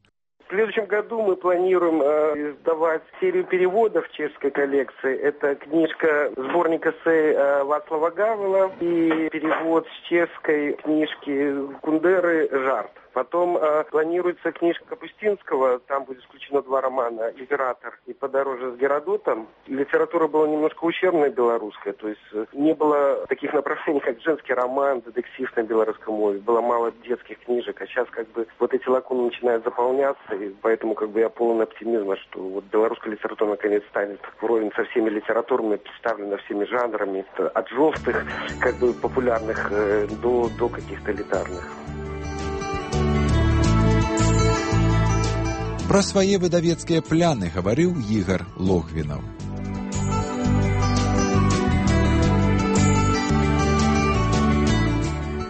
В следующем году мы планируем издавать серию переводов чешской коллекции. Это книжка, сборник эссе Вацлава Гавела и перевод с чешской книжки Кундеры «Жарт». Потом планируется книжка Капустинского, там будет исключено 2 романа «Император» и «Подороже с Геродотом». Литература была немножко ущербная белорусская, то есть не было таких направлений, как женский роман, детектив на белорусском мове, было мало детских книжек, а сейчас как бы вот эти лакуны начинают заполняться, и поэтому как бы я полон оптимизма, что вот белорусская литература наконец станет вровень со всеми литературами, представлена всеми жанрами, от жестких, как бы популярных до каких-то элитарных. Пра свае выдавецкія пляны гаварыў Ігар Логвінаў.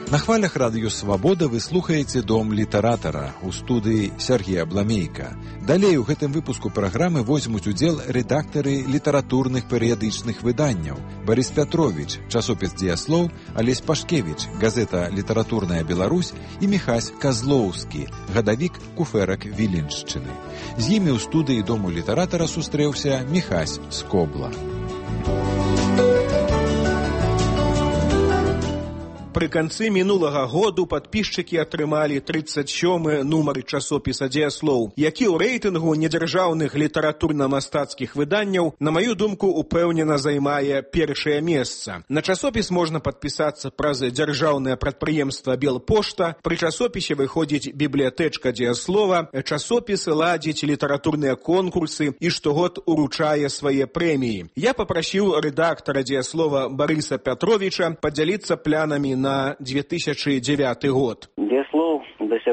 На хвалях радыё «Свабода» вы слухаеце «Дом літаратара» у студыі Сергія Бламейка. Далей у гэтым выпуску праграмы возьмуць удзел рэдактары літаратурных перыядычных выданняў Барыс Пятровіч, часопіс «Дзеяслоў», Алесь Пашкевіч, газета «Літаратурная Беларусь» і Міхась Казлоўскі, гадавік куфэрак Віленшчыны. З імі ў студыі «Дому літаратара» сустрэўся Міхась Скобла. Пры канцы мінулага году падпісчыкі атрымалі 37-ы нумар часопіса «Дзеяслоў», які ў рэйтынгу недзяржаўных літаратурна-мастацкіх выданняў, на маю думку, упэўнена займае першае месца. На часопіс можна падпісацца праз дзяржаўнае прадпрыемства «Белпошта». Пры часопісе выходзіць бібліятэчка «Дзеяслова», часопіс ладзіць літаратурныя конкурсы і штогод уручае свае прэміі. Я папрасіў рэдактара «Дзеяслова» Барыса Пятровіча падзяліцца планамі на 2009 год. «Дзеяслоў»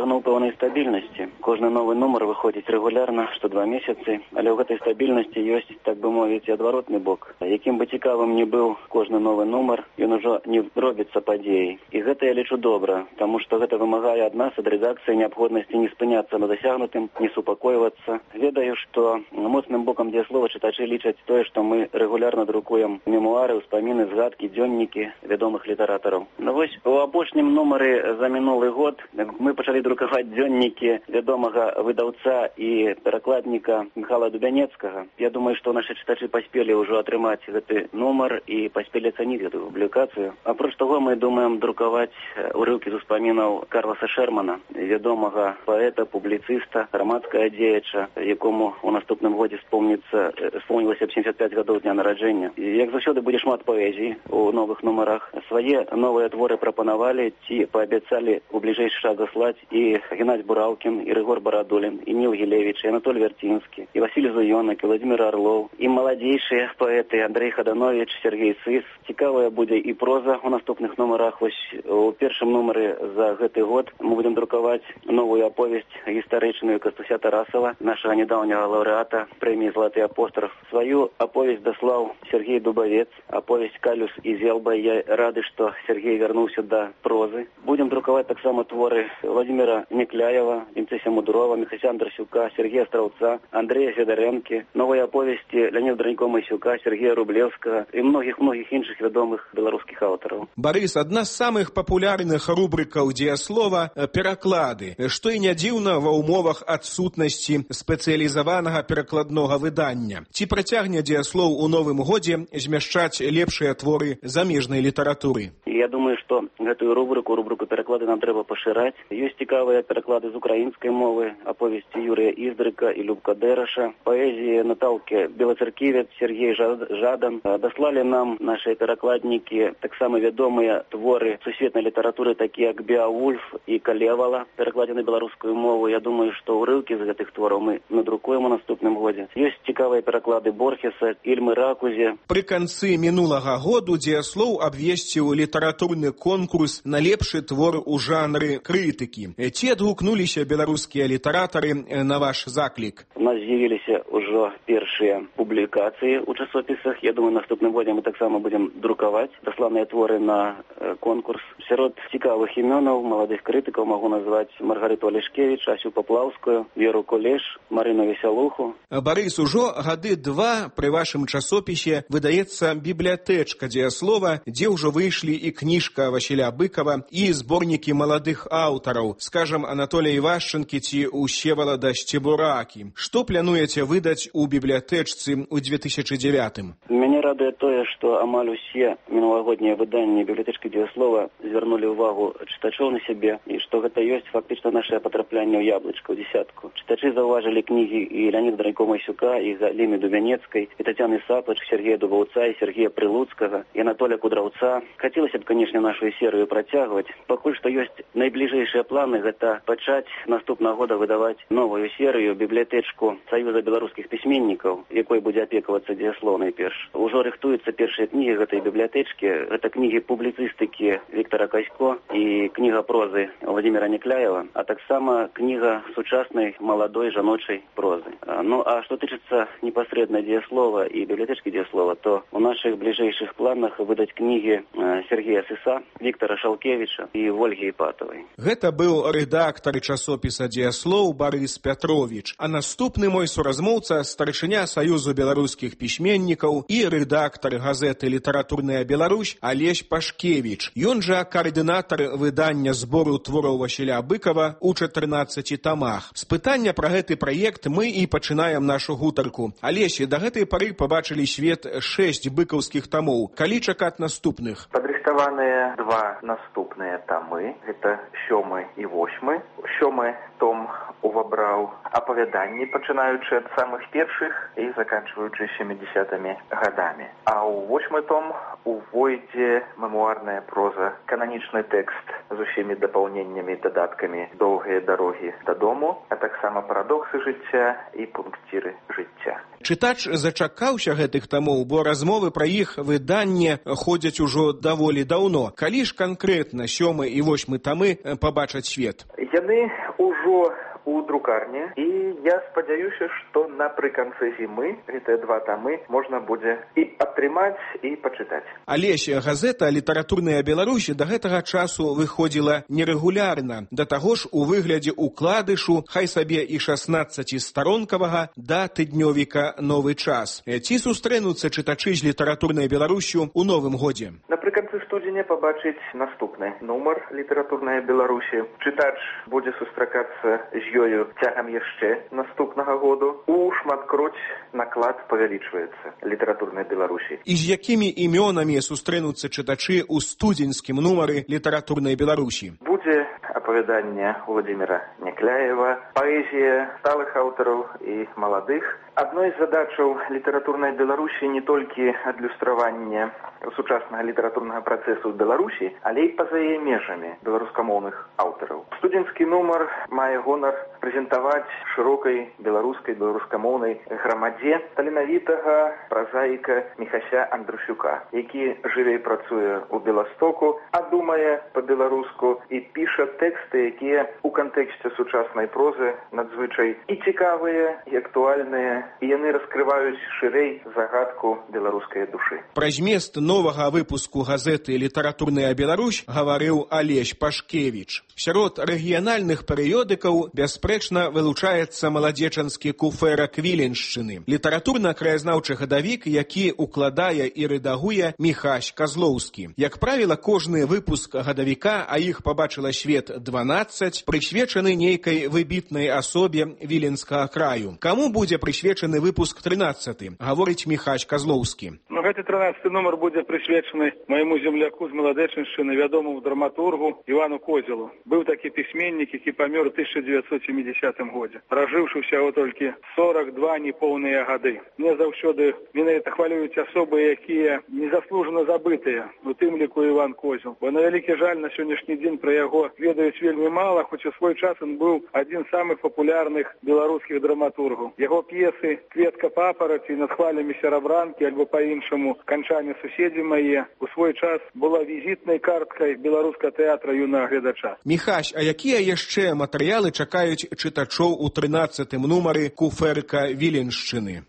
дасягнуў пэўнай стабільнасці. Кожны новы нумар выходзіць рэгулярна, што 2 месяцы, але ў гэтай стабільнасці ёсць, так бы мовіць, адваротны бок. Якім бы цікавым не быў кожны новы нумар, ён ужо не робіцца падзеяй. І гэта я лічу добра, таму што гэта вымагае ад нас, ад рэдакцыі, неабходнасці не спыняцца на дасягнутым, не супакойвацца. Ведаю, што моцным бокам дзеяслова чытачы лічаць тое, што мы рэгулярна друкуем мемуары, ўспаміны, згадкі, дзённікі вядомых літаратараў. Ну вось у апошнім нумары за мінулы год мы пачалі друкаваць дзённікі вядомага выдаўца і перакладніка Михайла Дубянецкага. Я думаю, што нашы чытачы паспелі ўжо атрымаць гэты нумар і паспелі ацаніць гэтую публікацыю. Апроч таго, мы думаем друкаваць урыўкі з успамінаў Карласа Шермана, вядомага паэта, публіцыста, грамадскага дзеяча, якому у наступным годзе спомнілася 75 гадоў дня нараджэння. Як заўсёды будзе шмат паэзіі у новых нумарах. Свае новыя творы прапанавалі ці паабяцалі у бліжэйшы час заслаць і Геннадзь Бураўкін, і Рыгор Барадулін, і Ніл Гілевіч, і Анатоль Вярцінскі, і Васіль Зуёнак, і Владзімір Арлоў, і маладзейшыя паэты Андрэй Хаданович, Сергей Сыс. Цікавая будзе і проза у наступных нумарах. Вось у першым нумары за гэты год мы будем друкаваць новую аповесць гістарычную Кастуся Тарасава, нашага нядаўняга лаўрэата прэміі «Золоты апостроф». Сваю аповесць даслаў Сергей Дубавец, аповесць «Калюс і Зелба». Я рады, што Сергей вярнуўся да прозы. Будем друкаваць таксама творы Владимира Некляева, Вінцэся Мудурова, Міхася Андрасюка, Сергея Страўца, Андрэя Федарэнкі, новыя аповесці Леоніда Дранько-Масюка, Сергея Рублевскага і многіх іншых вядомых беларускіх аўтараў. Барыс, адна з самых папулярных рубрыкаў дзеяслова пераклады, што і не дзіўна ва ўмовах адсутнасці спецыялізаванага перакладнога выдання. Ці працягне дзеяслоў у новым годзе змяшчаць лепшыя творы замежнай літаратуры? Я думаю, што гэтую рубрыку пераклады нам трэба пашыраць. Ёсць цікавыя пераклады з украінскай мовы, аповесці Юрыя Іздрыка і Любка Дэраша, паэзіі Наталкі Белацерківец, Сергей Жадан. Даслалі нам нашыя перакладнікі таксама вядомыя творы сусветнай літаратуры, такія як Беавульф і Калевала, перакладзены на беларускую мову. Я думаю, што ўрыўкі з гэтых твораў мы надрукуем у наступным годзе. Ёсць цікавыя пераклады Борхеса, Ільмы Ракузе. Пры канцы мінулага году дзеяслоў абвесціў літаратурны конкурс на лепшы твор у жанры крытыкі. Ці адгукнуліся беларускія літаратары на ваш заклік? У нас з'явіліся ўжо першыя публікацыі ў часопісах. Я думаю, наступным годзе мы таксама будем друкаваць дасланыя творы на конкурс. Сярод цікавых імёнаў маладых крытыкаў магу назваць Маргарыту Алешкевіч, Асю Паплаўскую, Веру Кулеш, Марыну Весялуху. Барыс, ужо гады 2 пры вашым часопісе выдаецца бібліятэчка дзеяслова, дзе ўжо выйшлі і кніжка Васіля Быкова, і зборнікі маладых аўтараў, скажам, Анатолія Івашчынкі ці Усевалада Сцебуракі. Што плануеце выдаць у бібліятэчцы ў 2009? Мяне радуе тое, што амаль усе мінулагоднія выданні бібліятэчкі дзеяслова звярнулі ўвагу чытачоў на сябе, і што гэта ёсць фактычна нашае патраплянне ў яблычка, ў дзесятку. Чытачы заўважылі кнігі і Леоніда Дранько-Масюка, і Галіны Дубянецкай, і Тацяны Саплач, Сергея Дубаўца, і Сергея Прылуцкага, і Анатолія Кудраўца. Хацелася б, канешне, нашу серыю працягваць. Пакуль што ёсць найбліжэйшыя планы, гэта пачаць наступнага года выдаваць новую серыю, бібліятэчку Саюза беларускіх пісьменнікаў, якой будзе апекавацца дзеяслоў найперш. Ужо рыхтуюцца першыя кнігі гэтай бібліятэчкі. Гэта кнігі публіцыстыкі Віктара Касько і кніга прозы Владимира Некляева, а таксама кніга сучаснай маладой жаночай прозы. Ну, а што тычыцца непасрэдна дзеяслова і бібліятэчкі дзеяслова, то у нашых бліжэйшых планах выдаць кнігі Сергея Сыса, Віктара Шалкевіча і Вольгі Іпатавай. Гэта быў рэдактар часопіса дзеяслоў Барыс Пятровіч, а наступны мой суразмоўца старшыня Саюзу беларускіх пісьменнікаў і рэдактар газеты «Літаратурная Беларусь» Алесь Пашкевіч. Ён жа каардынатар выдання збору твораў Васіля Быкова ў 14 тамах. З пытання пра гэты праект мы і пачынаем нашу гутарку. Алесі, да гэтай пары пабачылі свет 6 быкаўскіх тамоў. Калі чакаць наступных? Падрыхтаваныя 2 наступныя тамы. Гэта 7 і 8. 7 том увабраў апавяданні, пачынаючы ад самых першых і заканчваючы 70-ми гадамі. А ў 8 том увойдзе мемуарная проза, кананічны тэкст з усімі дапаўненнямі і дадаткамі «Доўгія дарогі дадому», а таксама «Парадоксы жыцця» і «Пункціры жыцця». Чытач зачакаўся гэтых тамоў, бо размовы пра іх выданне ходзяць ужо даволі даўно. Калі ж канкрэтна 7 і 8 тамы пабачаць свет? Яны ужо у друкарні, і я спадзяюся, што напрыканцы зімы гэтыя 2 тамы можна будзе і атрымаць, і пачытаць. Алесь, газета «Літаратурная Беларусь» да гэтага часу выходзіла нерэгулярна, да таго ж у выглядзе укладышу, хай сабе і 16-старонкавага, да тыднёвіка «Новы час». Ці сустрэнуцца чытачы з «Літаратурнай Беларусью» у новым годзе? Напрыканцы студзеня пабачыць наступны нумар «Літаратурная Беларусь». Чытач будзе сустракацца з ёю цягам яшчэ наступнага году. У шматкроць наклад павялічваецца «Літаратурнай Беларусі». І з якімі імёнамі сустрэнуцца чытачы ў студзеньскім нумары «Літаратурнай Беларусі»? Будзе апавяданне Владимира Някляева, паэзія сталых аўтараў і маладых. Адной з задачаў «Літаратурнай Беларусі» не толькі адлюстраванне сучаснага літаратурнага працэсу ў Беларусі, але і па-за яе межамі беларускамоўных аўтараў. Студзеньскі нумар мае гонар прэзентаваць шырокай беларускамоўнай грамадзе таленавітага празаіка Міхася Андрусюка, які жыве і працуе ў Беластоку, а думае па-беларуску і піша тэксты, якія ў кантэксце сучаснай прозы надзвычай і цікавыя, і актуальныя, і яны раскрываюць шырэй загадку беларускай душы. Пра змест новага выпуску газеты «Літаратурная Беларусь» гаварыў Алесь Пашкевіч. Сярод рэгіянальных перыёдыкаў бясспрэчна вылучаецца маладзечанскі куфэрак Віленшчыны, літаратурна-краязнаўчы гадавік, які укладае і рэдагуе Міхась Казлоўскі. Як правіла, кожны выпуск гадавіка, а іх пабачыла свет 12, прысвечаны нейкай выбітнай асобе віленскага краю. Каму будзе прысвечаны выпуск 13, гаворыць Міхась Казлоўскі. Гэты 13 нумар будзе прысвечаны майму земляку з Маладэчыншчыны, вядомаму драматургу Івану Козелу. Быў такі пісьменнік, які памёр у 1970 годзе, пражыўшы ўсяго толькі 42 непоўныя гады. Мне заўсёды менавіта хвалююць асобы, якія незаслужана забытыя, у тым ліку Іван Козел. Бо на вялікі жаль, на сённяшні дзень пра яго ведаюць вельмі мала, хоць у свой час ён быў адзін з самых папулярных беларускіх драматургаў. Яго п'есы «Кветка папараці», «Над хвалямі серабранкі» альбо па-іншаму «Канчане суседзі мае» у свой час была візітнай карткай беларускага тэатра юнага гледача. Міхась, а якія яшчэ матэрыялы чакаюць чытачоў у 13-м нумары куфэрка Віленшчыны?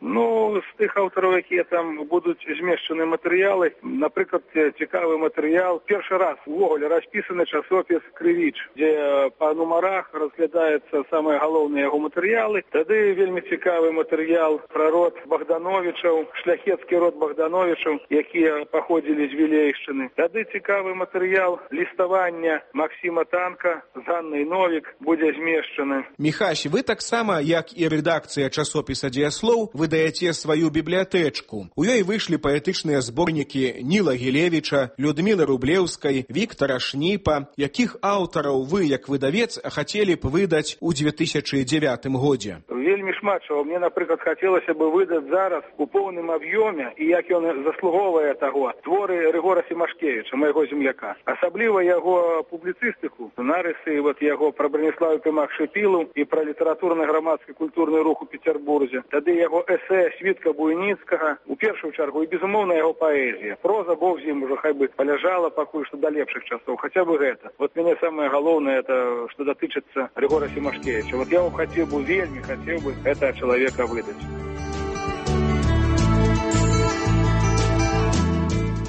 З тых аўтараў, якія там будуць змешчаны матэрыялы, напрыклад, цікавы матэрыял. Першы раз увогуле распісаны часопіс «Крывіч», дзе па нумарах разглядаецца самыя галоўныя яго матэрыялы. Тады вельмі цікавы матэрыял пра род Богдановічаў, шляхецкі род Богдановічаў, якія паходзілі з Вілейшчыны. Тады цікавы матэрыял ліставання Максіма Танка з Ганнай Новік будзе змешчаны. Міхась, вы таксама, як і рэдакцыя часопіса «Дзеяслоў», выдаяце сваю бібліятэчку. У ёй выйшлі паэтычныя зборнікі Ніла Гілевіча, Людмілы Рублеўскай, Віктара Шніпа. Якіх аўтараў вы, як выдавец, хацелі б выдаць у 2009 годзе? Вельмі шмат чаго. Мне, напрыклад, хацелася бы выдаць зараз у поўным аб'ёме, і як ён заслуговае таго, творы Рыгора Семашкевіча, майго земляка. Асабліва яго публіцыстыку, нарысы яго пра Браніславу Пімах-Шыпілу і пра літаратурна-грамадскі культурны рух у Петербурзе. Тады яго эсэ Світка Буйніцкага, у першую чаргу, і, безумоўна, яго паэзія. Проза, Бог з ім, ужо хай бы паляжала пакуль што да лепшых часоў, хаця бы гэта. Мяне самае галоўнае, это што датычыцца Рыгора Семашкевіча. Я хацеў бы, вельмі хацеў бы гэта чалавека выдаць.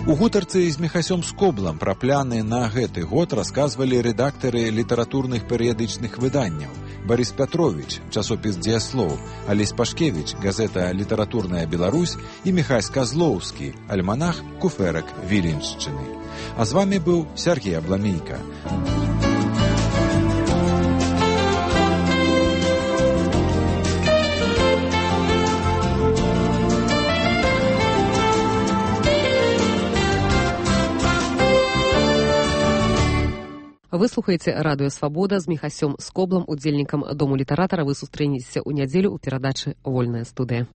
У гутарцы з Міхасём Скоблам пра пляны на гэты год расказвалі рэдактары літаратурных перыядычных выданняў. Барыс Пятровіч, часопіс «Дзеяслоў», Алесь Пашкевіч, газета «Літаратурная Беларусь» і Міхась Казлоўскі, альманах «Куфэрак Віленшчыны». А з вамі быў Сергей Абламейка. Вы слухаеце радыё «Свабода» з Міхасём Скоблам, удзельнікам Дому літаратара. Вы сустрэнецеся ў нядзелю ў перадачы «Вольная студыя».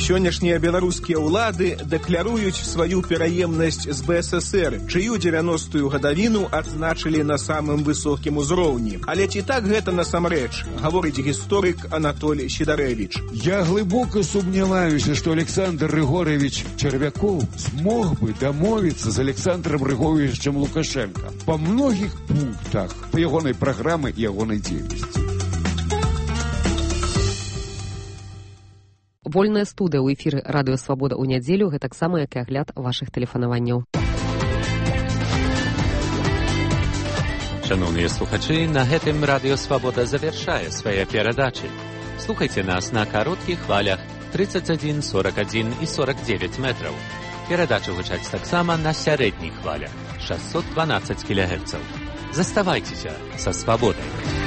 Сённяшнія беларускія ўлады дэкляруюць сваю пераемнасць з БССР, чыю 90-ю гадавіну адзначылі на самым высокім узроўні. Але ці так гэта насамрэч, гаворыць гісторык Анатоль Сідарэвіч. Я глыбока сумняваюся, што Александр Григорьевич Червяков смог бы дамовіцца з Александром Григорьевичем Лукашенко па многіх пунктах па ягонай праграмы і ягонай дзейнасці. Вольная студыя ў эфіры радыё Свабода ў нядзелю, гэтаксама як і агляд вашых тэлефанаванняў. Шановныя слухачы, на гэтым радыё Свабода завяршае свае перадачы. Слухайце нас на кароткіх хвалях 31, 41 і 49 метраў. Перадачы гучаць таксама на сярэдніх хвалях 612 кГц. Заставайцеся са Свабодай.